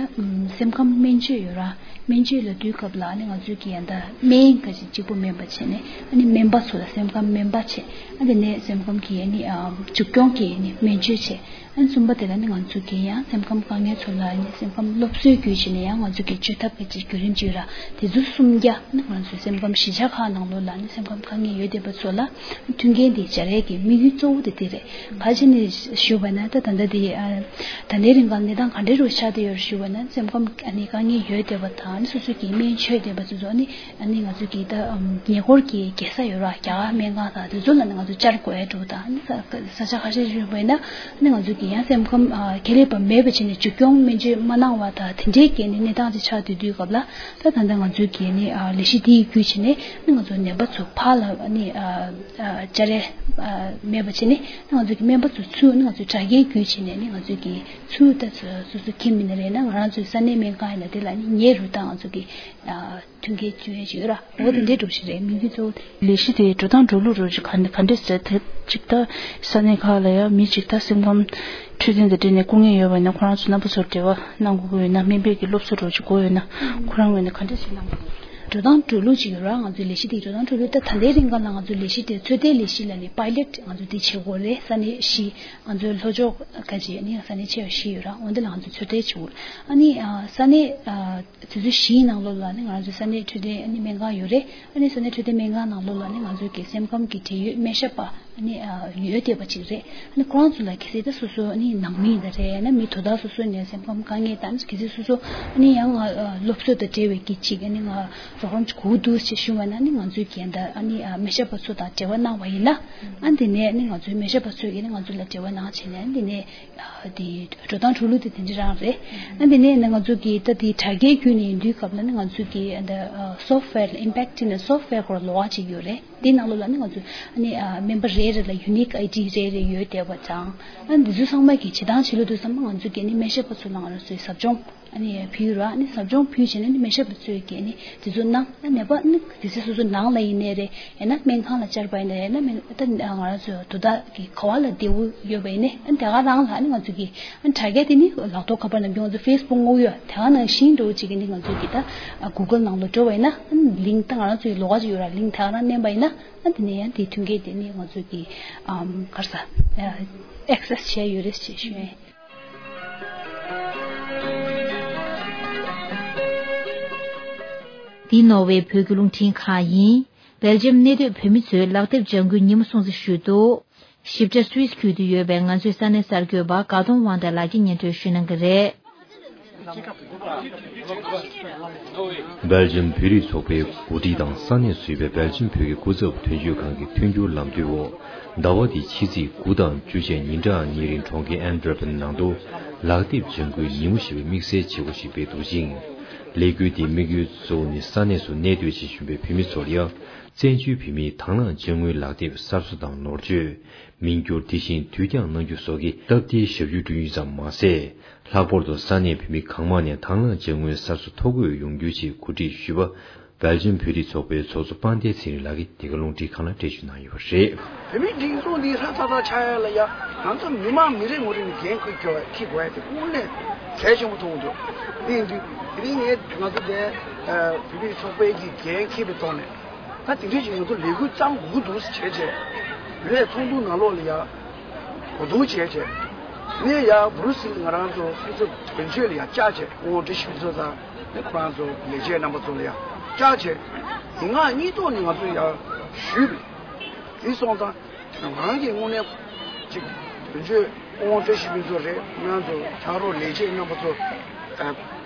སེམས་ཁམས་སྨན་བཅོས་ཡོད་ར། སྨན་བཅོས་ལ་དུས་སྐབས་ལ་ནི་ང་ཚོ་གི་ཨ་ད་སྨན་ག་ཅིག་གཅིག་པོ་སྨན་པ་བྱས་ནས་ཨ་ནི་སྨན་པ་ཚོ་ལ་སེམས་ཁམས་སྨན་པ་བྱས། ཨ་དེ་ནས་སེམས་ཁམས་ཀྱི་ཨ་ནི་ཨ་འཇུག་སྐྱོང་གི་ཨ་ནི་སྨན་བཅོས་བྱས། ཨ་གསུམ་པ་དེ་ལ་ནི་ང་ཚོ་གི་ཡང་སེམས་ཁམས་དཀའ་ངལ་ཚོ་ལ་ནི་སེམས་ཁམས་སློབ་གསོའི་བརྒྱུད་བྱས་ནས་ཡང་ང་ཚོ་གི་བཅོས་ཐབས་ཀྱི་ཅིག་བརྒྱུད་རིམ་ཅིག་ཡོད་ར། དེ་ཚོ་གསུམ་རྒྱ་ནི་ང་ཚོའི་སེམས་ཁམས་གཞིས་ཆགས་ཁག་ནང་ལོགས་ལ་ནི་སེམས་ཁམས་དཀའ་ངལ་ཡོད་བསྡད་པ་ཚོ་ལ་མཐུན་རྐྱེན་དེ་སྦྱར་ཡས་ཀྱི་དམིགས་ཡུལ་གཙོ་བོ་དེ་དེ་རེད། ག་ཅི་ནས་ཞུས་པ་ན་ད་ད་ལྟ་དེ་ཨ་ད་ལྟའི་རིང་ག་ལ་གནས་སྟངས་ག་འདྲའི་རུ་ཆགས་བསྡད་ཡོད་རེད་ཞུས་པ་ན་སེམས་ཁམས་ཨ་ནི་དཀའ་ངལ་ཡོད་བསྡད་པ་དང་ནི་སོ་སོ་གི་སྨན་མཆོད་བསྡད་པ་ཚོ་ཚོ་ནི། ཨ་ནི་ང་ཚོ་གི་ད་ཉེ་འཁོར་གྱི་རྒྱལ་ས་ཡོད་ར་རྒྱ་གར་སྨན་ཁང་དང་དེ་ཚོ་ལ་ནི་ང་ཚོ་བཅར་དགོས་ཡ་འགྲོ་དང་ཨ་ནི་ས་ས་ཆ་ཁ་ཤས་ཞིག་ཡོད་པ་ཡིན་ན་ཨ་ནི་ང་ཚོ་གི་ཡང་སེམས་ཁམས་ཨ་ཁེ་ལས་པ་མེད་པ་བྱས་ནས་འཇུག་སྐྱོང་སྨན་བཅོས་མ་གནང་བ་དང་དེ་འདྲའི་གི་ནི་གནས་སྟངས་ཅིག་ཆགས་བསྡད་དུས་སྐབས་ལ་ད་ད་ལྟ་ང་ཚོ་གི་ནི་ཨ་ལས་གཞི་འདི་ཡི་བརྒྱུད་བྱས་ནས་ནི་ང་ཚོ་ནད་པ་ཚོ་ཕར་ལ་ཨ་ནི་ཨ་ཨ་བཅར་ཡ་ཨ་མེད་པ་བྱས་ནས་ནི་ང་ཚོ་གི་སྨན་པ་ཚོ་ཚུར་ནི་ང་ཚོ་དྲ་རྒྱའི་བརྒྱུད་བྱས་ནས་ནི་ང་ཚོ་གི་ཚུར་ད་སོ་སོ་ཁྱིམ་མི་ནི་རེད་ན་ང་རང་ཚོའི་ས་གནས་སྨན་ཁང་ཡིན་ན་དེ་ལ་ནི་ཉེ་རུ་ད་ང་ཚོ་གི་ཨ། མཐུན་རྐྱེན་བྱུང་ཡས་ཅིག་ཡོད་ར། འོ་དེ་འདྲའི་འགྲོ་བཞིན་རེད་མི་འདི་ཚོ། ལས་གཞི་དེ་འགྲོ་སྟངས་འགྲོ་ལུགས་རོ་ཅིག་ག་ག་འདྲས་ཟེར་དེ་ཅིག་ད་ས་གནས་ཁག་ལ་ཡང་མི་ཅིག་ད་སེམས་ཁམས་འཕྲོད་བསྟེན་དང་འབྲེལ་ནས་སྐུ་ངལ་ཡོད་པ་ཡིན་ན་ཁོ་རང་ཚོ་རྣམ་པ་ཚོར་འབྲེལ་བ་གནང་དགོས་ཀྱི་ཡོད་ན་སྨན་པའི་གི་སློབ་གསོ་རོ་ཅིག་དགོས་ཡོད་ན་ཁོ་རང་ངོས་ནས་ག་འདྲས་ཞིག་གནང་དགོས། འགྲོ་སྟངས་འགྲོ་ལུགས་ཅིག་ཡོད་ར། ང་ཚོའི་ལས་གཞི་དེ་འགྲོ་སྟངས་འགྲོ་ལུགས་ད་ད་ལྟའི་རིང་ག་ལ་ང་ཚོའི་ལས་གཞི་དེ་ཚོད་ལྟའི་ལས་གཞི་ལ་ནི་པའི་ལེཊ་ང་ཚོ་དེ་བྱེད་དགོས་རེད། ས་གནས་བཞི་ང་ཚོའི་ལྷོ་ཕྱོགས་ཁ་ཅིག་ནི་ས་གནས་ཆེ་བ་བཞི་ཡོད་ར། འོ་འདི་ལ་ང་ཚོ་ཚོད་ལྟ་བྱེད་དགོས། ཨ་ནི་ས་གནས། དེ་ཚོ་བཞིའི་ནང་ལོགས་ལ་ནི་ང་ཚོའི་ས་གནས་འཕྲོད་བསྟེན་ཨ་ནི་སྨན་ཁང་ཡོད་རེད། ཨ་ནི་ས་གནས་འཕྲོད་བསྟེན་སྨན་ཁང་ནང་ལོགས་ལ་ནི་ང་ཚོའི་གི་སེམས་ཁམས་ཀྱི་འབྲེལ་ཡོད་སྨན་ཞབས་པ་ཨ་ནི་ཡོད་བསྡད་པ་ཅིག་རེད། ཨ་ནི་ཁོ་རང་ཚོ་ལ་གལ་སྲིད་ད་སོ་སོ་ཨ་ནི་ནང་མི་ཡིན་ད་རེད་ན་མི་དོ་བདག་སོ་སོ་ནས་སེམས་ཁམས་དཀའ་ངལ་དང་གལ་སྲིད་སོ་སོ་ཨ་ནི་ཡང་ང་སློབ་གསོ་དང་འབྲེལ་བའི་གི་ཅིག་ཨ་ནི་ང་རོགས་རམ་ཅིག་དགོས་འདུག་ཅེས་ཞུ་བ་ན་ནི་ང་ཚོའི་གི་ད་ཨ་ནི་སྨན་ཞབས་པ་ཚོ་དང་འབྲེལ་བ་གནང་བ་ཡིན་ན་ཨ་འདི་ནས་ནི་ང་ཚོའི་སྨན་ཞབས་པ་ཚོས་གི་ནི་ང་ཚོ་ལ་འབྲེལ་བ་གནང་བྱས་ནས་ཨ་འདི་ནས། དེ་འགྲོ་སྟངས་འགྲོ་ལུགས་དེ་དེ་འདྲ་རང་རེད། ཨ་དེ་ནས་ནི་ང་ཚོ་གི་ད་དེ་དྲ་རྒྱའི་བརྒྱུད་ནས་ཡིན་དུས་སྐབས་ལ་ནི་ང་ཚོ་གི་ཨ་ད་སོབ་ཝེར་ལ་ཨིམ་པེག་ཊི་ནི་སོབ་ཝེར་སྐོར་ལོགས་ཀ་ཅིག་ཡོད་རེད། དེའི་ནང་ལོགས་ལ་ནི་ང་ཚོ་ཨ་ནི་ཨ་སྨན་པ་རེ་རེ་ལ་ཡུ་ནིག་ཨའི་ཌི་རེ་རེ་ཡོད་བསྡད་པ་དང་། ཨ་འདི་ཚོ་ཚང་མ་གི་བྱེད་སྟངས་བྱེད་ལུགས་དེ་ཚང་མ་ང་ཚོ་གི་ནི་སྨན་ཞབས་པ་ཚོ་ལ་ང་རང་ཚོའི་ཟབ་སྦྱོང་། ཨ་ནི་ཕུལ་ར། ཨ་ནི་ཟབ་སྦྱོང་ཕུལ་བྱས་ནས་ནི་སྨན་ཞབས་པ་ཚོས་ཀྱིས་ནི་དེ་ཚོ་གནང་། ཨ་ནད་པ་ནི་དེ་ཚོ་སོ་སོ་ནང་ལ་ཡིན་ནའི་རེད། ཡང་ན་སྨན་ཁང་ལ་བཅར་བ་ཡིན་ནའི་རེད། ཡང་ན་སྨན་ད་ང་རང་ཚོ་དོ་བདག་གི་ག་བ་ལ་བདེ་པོ་ཡོད་པ་ཡིན་ནའི་ཨ་ནི་དེ་ག་རང་ལ་ཨ་ནི་ང་ཚོ་གི་ཨ་ནི་དྲ་རྒྱ་དེ་ནི་ལག་ཐོག་ཁ་པར་ནང་བྱུང་ང་ཚོ་ཕེ་སི་བུག་དངོས་ཡོད་དེ་ག་ནང་བཞིན་འགྲོ་བྱེད་ཀྱི་ནི་ང་ཚོ་གི་ད་གུ་གལ་ནང་ལ་འགྲོ་བ་ཡིན་ན་ཨ་ནི་ལིང་ད་ང་རང་ཚོ་གི་ལོགས་ཀ་ཅིག་ཡོད་ར། ལིང་དེ་ག་རང་མནན་པ་ཡིན་ན་ཨ་ནི་དེ་ནས་ཡང་དེའི་མཐུན་རྐྱེན་དེ་ནི་ང་ཚོ་གི་ཨམ་ག་རེ་ཟ་ཨེག་སེ་སི་བྱས་ཡོད་རེད་ཅེས་ཞུ་ཡིན། འདི་ནོར་ཝེ་བོད་ཀྱི་རླུང་འཕྲིན་ཁང་ཡིན། སྦེལ་ཇམ་གནས་སྡོད་བོད་མི་ཚོས་ལག་དེབ་ལྗང་གུའི་ཉིན་མོ་སྲུང་བརྩི་ཞུས་འདུག། ཞིབ་ཕྲ་སུད་སི་ཁུལ་དུ་ཡོད་པའི་ང་ཚོའི་ས་གནས་གསར་འགོད་པ་དགའ་གདོང་དབང་ཐང་ལགས་ཀྱིས་སྙན་སྒྲོན་ཞུ་གནང་གི་རེད། སྦེལ་ཇམ་བོད་རིགས་ཚོགས་པའི་འགོ་ཁྲིད་དང་ས་གནས་སུ་ཡོད་པའི་སྦེལ་ཇམ་བོད་ཀྱི་སྐུ་ཚབ་དོན་གཅོད་ཁང་གི་མཐུན་འགྱུར་ལམ་སྟོན་འོག་ཟླ་བ་འདིའི་ཕྱི་ཚེས་དགུ་དང་བཅུ་བཅས་ཉིན་གྲངས་གཉིས་རིང་གྲོང་ཁྱེར་ཨན་ཏི་ཝེར་པན་ནང་དུ་ལག་དེབ་ལྗང་གུའི་ཉིན་མོ་ཞེས་པའི་དམིགས་བསལ་བྱེད་སྒོ་ཞིག་སྤེལ་འདུག་ཅིང་། ལས་འགུལ་དེའི་དམིགས་ཡུལ་གཙོ་བོ་ནི་ས་གནས་སུ་གནས་སྡོད་བྱེད་བཞིན་པའི་བོད་མི་ཚོར་ཡང་བཙན་བྱོལ་བོད་མིའི་དང་བླངས་ཅ་དངོས་ལག་དེབ་གསར་བཟོ་དང་ནོར་བཅོས། མིང་བསྒྱུར། དེ་བཞིན་དུས་འགྱངས་གནང་རྒྱུ་སོགས་ཀྱི་སྟབས་བདེའི་ཞབས་ཞུ་བསྐྲུན་རྒྱུ་ཙམ་མ་ཟད། ལྷག་པར་དུ་ས་གནས་བོད་མི་གང་མང་ནས་དང་བླངས་ཅ་དངོས་གསར་བཟོ་ཐོ་འགོད་ཡོང་རྒྱུའི་ཆེད་གོ་སྒྲིག་ཞུས་པ། སྦེལ་ཇམ་བོད་རིགས་ཚོགས་པའི་ཚོགས་གཙོ་དཔལ་ལྡན་ཚེ་རིང་ལགས་ཀྱིས་འདི་ག་རླུང་འཕྲིན་ཁང་ལ་འགྲེལ་བརྗོད་གནང་ཡོད་པ་རེད། བོད་མིའི་སྒྲིག་འཛུགས་འདི་ཧྲ་ཚ་ཚ་ཆགས་ཡ་ལ་ཡ་ང་ཚོ་མི་མང་མི་རེ་ངོ་རེ་ནས་འགན་འཁུར་དགོས་ཡ་འཁྱེར་དགོས་ཡ་དེ་དངོས་གནས་གལ་ཆེན་པོ་མཐོང་གི་འདུག། དེ་ཡིན་དུས་དེ་རིང་ངས་ང་ཚོ་དེ་བོད་མིའི་ཚོགས་པའི་གི་འགན་འཁྱེར་བའི་ཐོག་ནས། ད་དེ་འདྲ་ཞིག་ང་ཚོ་ལས་འགུལ་བརྩམས་དགོས་ཀྱི་འདུག་ཟེར་བྱས་བྱས། ལས་ཚོགས་འདུ་ནང་ལོགས་ལ་ཡ་གོ་བསྡུར་བྱས་བྱས། ངས་ཡ་བྷུ་རུ་སིལ་ང་རང་ཚོ་སྐུ་ཚབ་དོན་གཅོད་ལ་ཡ་བཅར་བྱས་སྐུ་ངོ་བཀྲ་ཤིས་ཕུན་ཚོགས་དང་ནི་ཁོ་རང་ཚོ་ལས་བྱེད་རྣམ་པ་ཚོ་ལ་ཡ་བཅར་བྱས། ཡིག་ངག་གཉིས་ཐོག་ནས་ང་ཚོ་ཡ་ཞུས་པ་རེད། དེ་སོང་ཙང་ང་རང་གིས་དངོས་གནས་ཅིག་དོན་གཅོད་སྐུ་ངོ་བཀྲ་ཤིས་ཕུན་ཚོགས་རེད། ང་ཚོ་ཕྱག་རོགས་ལས་བྱེད་རྣམ་པ་ཚོ། ཨ།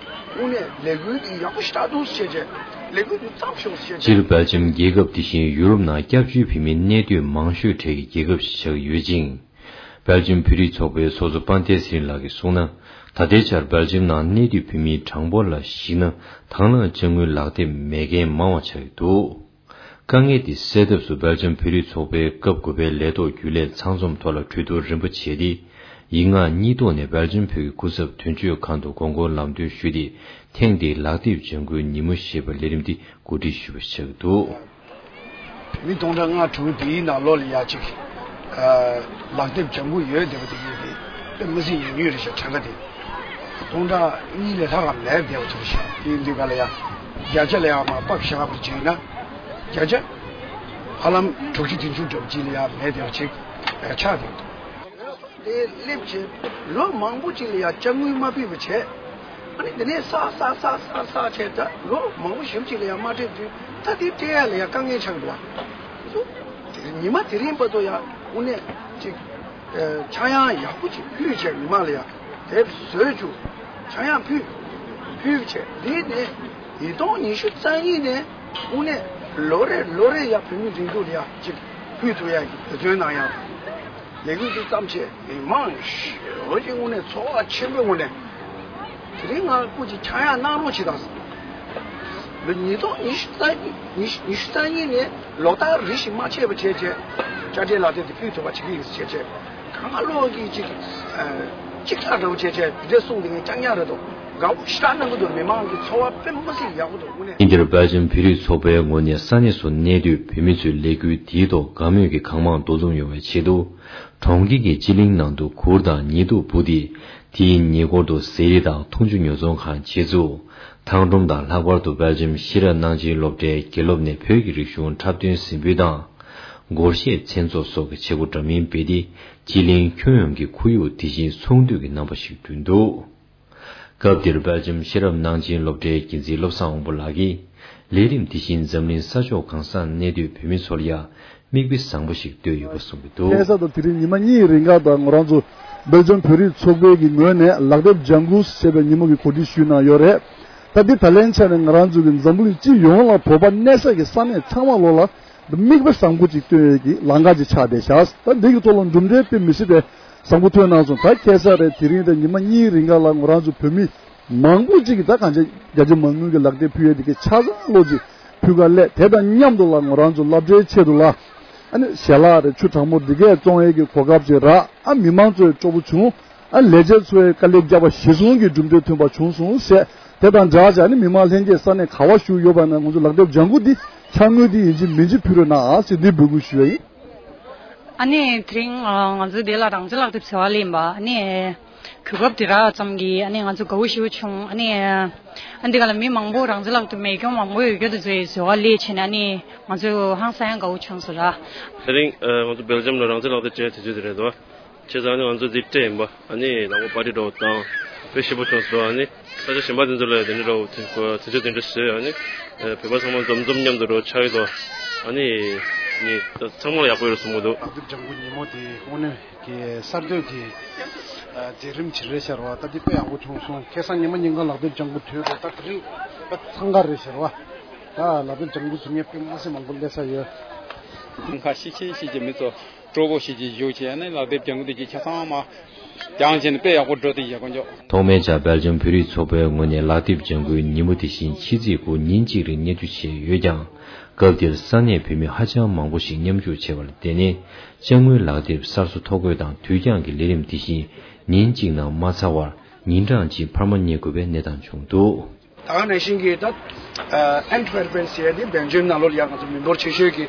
དངོས་གནས་ལས་འགུལ་འདི་ཡག་པོ་ཞེ་དྲག་འདུག་ཟེར་བྱས་ལས་འགུལ་འདི་བརྩམས་ཤོག་ཟེར་བྱས། སྤྱིར་སྦེལ་ཇམ་རྒྱལ་ཁབ་དེ་བཞིན་ཡུ་རོབ་ནང་སྐྱབས་བཅོལ་བོད་མིའི་གནས་སྡོད་མང་ཤོས་གྲས་ཀྱི་རྒྱལ་ཁབ་ཞིག་ཆགས་ཀྱི་ཡོད་ཅིང་། སྦེལ་ཇམ་བོད་རིགས་ཚོགས་པའི་ཚོགས་གཙོ་དཔལ་ལྡན་ཚེ་རིང་ལགས་ཀྱིས་གསུངས་ན། ད་ལྟའི་ཆར་སྦེལ་ཇམ་ནང་གནས་སྡོད་བོད་མིའི་གྲངས་འབོར་ལ་གཞིགས་ན་དང་བླངས་ཅ་དངོས་ལག་དེབ་མེད་མཁན་མང་བ་ཆགས་ཀྱི་འདུག། དཀའ་ངལ་དེ་སེལ་ཐབས་སུ་སྦེལ་ཇམ་བོད་རིགས་ཚོགས་པའི་སྐབས་དགུ་པའི་ལས་ཐོག་རྒྱུན་ལས་ཚང་འཛོམས་ཐོག་ལ་གྲོས་བསྡུར་རིམ་པ་བྱས་ཏེ། ཡིག་ངག་གཉིས་ཐོག་ནས་སྦེལ་ཇམ་བོད་ཀྱི་སྐུ་ཚབ་དོན་གཅོད་ཁང་དུ་དགོངས་སྐོར་ལམ་སྟོན་ཞུས་ཏེ། ཐེངས་འདིའི་ལག་དེབ་ལྗང་གུའི་ཉིན་མོ་ཞེས་པའི་ལས་རིམ་འདི་གོ་སྒྲིག་ཞུས་པ་ཆགས་ཀྱི་འདུག། མི་སྟོང་ཕྲག་ལྔ་དྲུག་དེའི་ནང་ལོགས་ལ་ཡ་གཅིག་ཨ། ལག་དེབ་ལྗང་གུ་ཡོད་བསྡད་པ་དེ་ཡིན་ཏེ། དཔེ་མི་སྲིད་ཡོད་ཉོས་རེད་ཤག་གྲངས་ཀ་དེ། སྟོང་ཕྲག་གཉིས་ལས་ལྷག་ག་མེད་བསྡད་པ་ཅིག་རེད་ཤག། དེ་ཡིན་དུས་ག་ལ་ཡ། བརྒྱ་ཆ་ལ་ཡ་མར་ཕབ་བཞག་པ་བྱས་ན། བརྒྱ་ཆ་ཧ་ལམ་དྲུག་ཅུ་བདུན་ཅུ་འདྲ་པོ་ཅིག་ལ་ཡ་མེད་བསྡད་པ་ཅིག་ཆགས་བསྡད་འདུག། དེ་སླེབས་བྱས་ལོ་མང་པོ་ཅིག་ལ་ཡ་ཅ་དངོས་མ་ཕུལ་བ་བྱས། ཨ་ནི་དེ་ནས་བསགས་བསགས་བསགས་བསགས་བསགས་བྱས། ད་ལོ་མང་པོ་ཞེ་པོ་ཅིག་ལ་ཡ་མ་སྤྲད་དུས་ད་དེ་སྤྲད་ཡ་ལ་ཡ་དཀའ་ངལ་ཆགས་འདུག་བ། ཉི་མ་དེ་རིང་བར་དུ་ཡ་དངོས་གནས་ཅིག་ཨ། ཆག་ཡང་ཡག་པོ་ཅིག་ཕུལ་བྱས་མི་མང་ལ་ཡ་དེབ་བཟོས་བཅུག། ཆག་ཡང་ཕུལ། ཕུལ་བྱས་འདི་ནས་ཉིས་སྟོང་ཉི་ཤུ་རྩ་གཉིས་ནས་དངོས་གནས་ལོ་རེ་ལོ་རེ་ཡ་བོད་མི་སྒྲིག་འཛུགས་ལ་ཡ་ཅིག་ཕུལ་ཐུབ་ཡ་གི་འབད་བརྩོན་གནང་ཡ། ལས་འགུལ་འདི་བརྩམས་བྱས་མི་མང་ཞེ་པོ་ཅིག་དངོས་གནས་ཚོར་བ་ཆེན་པོའི་ངང་ནས། དེ་རིང་ང་སྐུ་མཁྱེན་ཆག་ཡང་གནང་རོགས་བྱེད་དང་། ལོ་ཉིས་སྟོང་ཉི་ཤུ་རྩ་གཉིས་ཉི་ཤུ་ཉི་ཤུ་རྩ་གཉིས་ནས་ལོ་ལྟར་རེ་བཞིན་མ་ཆད་པ་བྱས་བྱས། དཔྱ་ཁྲལ་ལག་དེབ་དེ་ཕུལ་ཐུབ་པ་བྱེད་ཀྱི་ཡིན་ཟེར་བྱས་བྱས། གང་ག་བློ་གི་ཅིག་ཨ། ཅིག་ཐག་འདྲ་བོ་བྱས་བྱས་དེ་འདྲས་གསུངས་དེ་ངས་ཅག་ཉག་རེད་དོ། དགའ་བོ་ཞེ་དྲག་གནང་གི་འདུག། མི་མང་གི་ཚོར་བ་དཔེ་མི་སྲིད་ཡག་པོ་འདུག་དངོས་གནས། ཉིན་དེར་སྦེལ་ཇམ་བོད་རིགས་ཚོགས་པའི་ངོས་ནས་ས་གནས་སུ་གནས་སྡོད་བོད་མི་ཚོའི་ལས་འགུལ་འདིའི་ཐོག་དགའ་མོས་ཀྱི་གང་མང་འདུ་འཛོམས་ཡོང་བའི་ཆེད་དུ། གྲོང་ཁྱེར་གྱི་སྤྱི་གླིང་ནང་དུ་གུར་དང་ཉལ་དུབ་སྤུ་སྟེ། དེའི་ཉེ་འཁོར་དུ་ཟས་རིགས་དང་འཐུང་ཆུ་ཉོ་ཚོང་ཁང་ཆེད་འཛུགས། ཐང་སྒྲོམ་དང་། ལྷག་པར་དུ་སྦེལ་ཇམ་ཤེས་རབ་གནང་སྦྱིན་སློབ་གྲྭའི་དགེ་སློབ་ནས་བོད་ཀྱི་རིག་གཞུང་འཁྲབ་སྟོན་གཟིགས་འབུལ་དང་། སྒོར་གཞས་མཚན་ཚོགས་སོགས་ཀྱི་བྱེད་སྒོ་འདྲ་མིན་སྤེལ་ཏེ། སྤྱི་གླིང་ཁྱོན་ཡོངས་ཀྱི་ཁོར་ཡུག་དེ་བཞིན་ཚོགས་འདུ་གི་རྣམ་པ་ཞིག་བསྐྲུན་འདུག། སྐབས་དེར་སྦེལ་ཇམ་ཤེས་རབ་གནང་སྦྱིན་སློབ་གྲྭའི་འགན་འཛིན་བློ་བཟང་དབང་པོ་ལགས་ཀྱིས། ལས་རིམ་དེ་བཞིན་འཛམ་གླིང་ས་ཕྱོགས་གང་སར་གནས་སྡོད་བོད་མི་ཚོར་ཡང་མིག་དཔེ་བཟང་པོ་ཞིག་བཏོད་ཡོད་པ་གསུངས་ཀྱི་འདུག། ཁ་སང་དང་དེ་རིང་ཉི་མ་གཉིས་རིང་ག་ད་ང་རང་ཚོ་སྦེལ་ཇམ་བོད་རིགས་ཚོགས་པའི་གི་ངོས་ནས་ལག་དེབ་ལྗང་གུ་ཞེས་པའི་ཉིན་མོ་གི་གོ་སྒྲིག་ཞུས་གནང་ཡོད་རེད། ད་འདི་ད་ལན་ཆ་ནས་ང་རང་ཚོ་གི་འཛམ་བུ་གླིང་སྤྱི་ཡོངས་ལ་བོད་པ་གནས་ས་གི་ས་གནས་ཚང་མ་ལོག་ལ་མིག་དཔེ་བཟང་པོ་ཅིག་སྟོན་ཡས་ཀྱི་ལམ་ཁ་ཅིག་ཆགས་བསྡད་ཤག། ད་འདི་གི་ཐོག་ལ་གྲུབ་འབྲས་དཔེ་མི་སྲིད་པའི་བཟང་པོ་ཐོན་གནང་སོང་། ད་ཁ་སང་རེད་དེ་རིང་རེད་ཉི་མ་གཉིས་རིང་ག་ལ་ང་རང་ཚོ་བོད་མི་མང་པོ་ཅིག་གིས་ད་གང་ཅི་བརྒྱ་ཆ་མང་པོ་གི་ལག་དེབ་ཕུལ་ཡས་དེ་གའི་ཆ་ཚང་ལོ་ཅིག་ཕུལ་ག་སླེབས། དེ་དང་མཉམ་དུ་ལ་ང་རང་ཚོ་སློབ་གྲྭའི་ཆེད་དུ་ལ་ཨ་ནི་ཞལ་ལག་རེད་ཆུ་གྲང་མོ་འདི་གས་བཙོང་ཡས་ཀྱི་གོ་སྐབས་ཅིག་རག། ཨ་མི་མང་ཚོའི་སྤྲོ་པོ་བྱུང་། ཨ་ལས་བྱེད་ཚོའི་དཀའ་ལས་བརྒྱབ་པ་གཞིར་བཟུང་གི་གྲུབ་འབྲས་ཐོན་པ་བྱུང་སོང་ཟེར། དེ་དང་སྦྲགས་བྱས་ནི་མི་མང་ལྷན་རྒྱས་ས་གནས་ག་བ་བཞུགས་ཡོད་པ་ན་ང་ཚོ་ལག་དེབ་ལྗང་གུ་འདི་འཆར་དངུལ་འདི་ཡིན་གཅིག་མིན་གཅིག་ཕུལ་རོགས་གནང་ཨ་ཟེར་འདི་འབོད་སྐུལ་ཞུ་ཡ་ཡིན། ཨ་ནི་དེ་རིང་ང་ཚོ་འདི་ལ་རང་བཙན་ལག་དེབ་ཟེར་བ་ལེན་པ་ཨ་ནི་གོ་སྐབས་དེ་རག་ཙམ་གྱིས་ཨ་ནི་ང་ཚོ་དགའ་བོ་ཞེ་པོ་བྱུང་། ཨ་ནི་ཨ་འདི་ག་ལ་མི་མང་པོ་རང་བཙན་ལག་དེབ་མེད་མཁན་མང་པོ་ཡོད་རྒྱུ་དེ་ཚོའི་ཟེར་བ་ལས་བྱས་ནས་ཨ་ནི་ང་ཚོ་ཧང་སང་ཡང་དགའ་བོ་བྱུང་སོང་ལ། དེ་རིང་ང་ཚོ་སྦེལ་ཇམ་ལ་རང་བཙན་ལག་དེབ་སྤྲད་དུས་ཚོད་དེ་རེད་དོ། བྱས་ཙང་ནི་ང་ཚོ་འདི་སྤྲད་ཡིན་པ་ཨ་ནི་དང་པོ་པར་ཊི་འདྲ་བོ་དང་དཔེ་ཞིབ་པོ་བྱུང་སོང་། ཨ་ནི་ས་ཆ་གཞན་པ་དེ་ཚོ་ལ་དེ་འདྲ་འདྲ་བོ་དེ་ཚོ་དེ་འདྲ་བཟོས། ཨ་ནི་བོད་པ་ཚང་མ་འཛོམས་འཛོམས་མཉམ་དུ་འདྲ་བོ་ཆགས་ཡོད་དོ། ཨ་ནི་ངས་ཚང་མ་ལ་ཡག་པོ་ཡོད་བསམ་གྱི་འདུག། ལག་དེབ་ལྗང་གུ་ཉིན་མོ་དེ་དངོས་གནས་ཀྱི་གསར་གཏོད་ཀྱི་ཨ་མཛད་རིམ་ཅིག་རེད་ཤག་ར་བ། ད་འདི་དཔེ་ཡག་པོ་བྱུང་སོང་། ཁ་སང་ཉི་མ་ཉིན་གང་ལག་དེབ་ལྗང་གུ་དུས་རེད། ད་དེ་རིང་དཔེ་འཚང་ཁ་རེད་ཤག་ར་བ། ད་ལག་དེབ་ལྗང་གུ་ཟེར་མཁན་དཔེ་མི་སྲིད་མང་པོ་སླེབས་ས་ཡོད། ཁ་ཤས་ཤིག་གི་མི་ཚོ་སྤྲོ་པོ་ཞིག་གིས་བཞུགས་བྱས་ནས་ལག་དེབ་ལྗང་གུ་དེ་གི་ཆ་ཚང་མ་སྦྱངས་བྱས་ནས་དཔེ་ཡག་པོ་འགྲོ་དེ་ཡག་པོ་འཇོག། ཐོག་མའི་ཆར་སྦེལ་ཇམ་བོད་རིགས་ཚོགས་པའི་ངོས་ནས་ལག་དེབ་ལྗང་གུའི་ཉིན་མོ་དེ་བཞིན་ཕྱི་ཚེས་དགུ་ཉིན་གཅིག་རིང་སྙན་སྒྲོན་བྱས་ཡོད་ཀྱང་། སྐབས་དེར་ས་གནས་བོད་མི་ཧ་ཅང་མང་པོ་ཞིག་མཉམ་ཞུགས་བྱས་པར་བརྟེན་ནས། ཅ་དངོས་ལག་དེབ་གསར་བཟོ་ཐོ་འགོད་དང་དུས་འགྱངས་ཀྱི་ལས་རིམ་དེ་བཞིན་ཉིན་གཅིག་ནང་མ་ཚར་བར་ཉིན་གྲངས་གཅིག་འཕར་མ་རྙེད་དགོས་པའི་གནས་སྟངས་བྱུང་འདུག། ད་ག་ནང་བཞིན་གྱི་ད་ཨན་ཊ་ཝེར་པན་ཟེར་ཡ་དེ་སྦེལ་ཇམ་ནང་ལོགས་ལ་ཡང་ང་ཚོ་མི་འབོར་ཆེ་ཤོས་ཀྱི་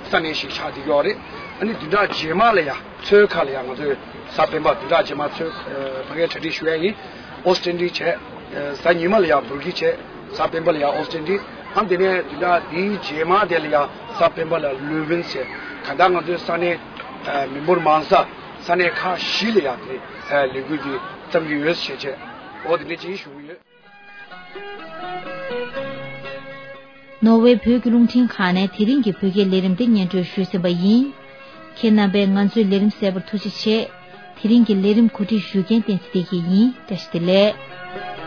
ས་གནས་ཤིག་ཆགས་བསྡད་ཡོད་རེད། ཨ་ནི་བདུན་ཕྲག་རྗེས་མ་ལ་ཡང་ཚོའི་ཁ་ལ་ཡང་ང་ཚོས་གཟའ་སྤེན་པ་བདུན་ཕྲག་རྗེས་མ་ཚོའི་ཕ་གིར་གྲ་སྒྲིག་ཞུ་ཡ་ཡིན། ཨོ་སི་ཊན་ཌི་བྱས། གཟའ་ཉི་མ་ལ་ཡང་སྦུར་གི་བྱས། གཟའ་སྤེན་པ་ལ་ཡང་ཨོ་སི་ཊན་ཌི། ཨ་དེ་ནས་བདུན་ཕྲག་དེའི་རྗེས་མ་དེ་ལ་ཡང་གཟའ་སྤེན་པ་ལ་ལུ་ཝིན་ཟེར། གང་ལྟར་ང་ཚོའི་ས་གནས་མི་འབོར་མང་ས་ས་གནས་ཁག་བཞི་ལ་ཡང་དེ་ལས་འགུལ་དེ་བརྩམས་ཀྱི་ཡོད་ཞེས་བྱས། འོ་དེ་འདྲ་ཅིག་ཞུ་གི་ཡོད། ནོར་ཝེ་བོད་ཀྱི་རླུང་འཕྲིན་ཁང་ནས་དེ་རིང་གི་བོད་སྐད་ལས་རིམ་འདི་སྙན་སྒྲོན་ཞུས་ཟིན་པ་ཡིན། ཁྱེད་རྣམ་པས་ང་ཚོའི་ལས་རིམ་གསན་པར་ཐུགས་རྗེ་ཆེ། དེ་རིང་གི་ལས་རིམ་གོ་སྒྲིག་ཞུ་མཁན་བསྟན་འཛིན་བདེ་སྐྱིད་ཡིན། བཀྲ་ཤིས་བདེ་ལེགས།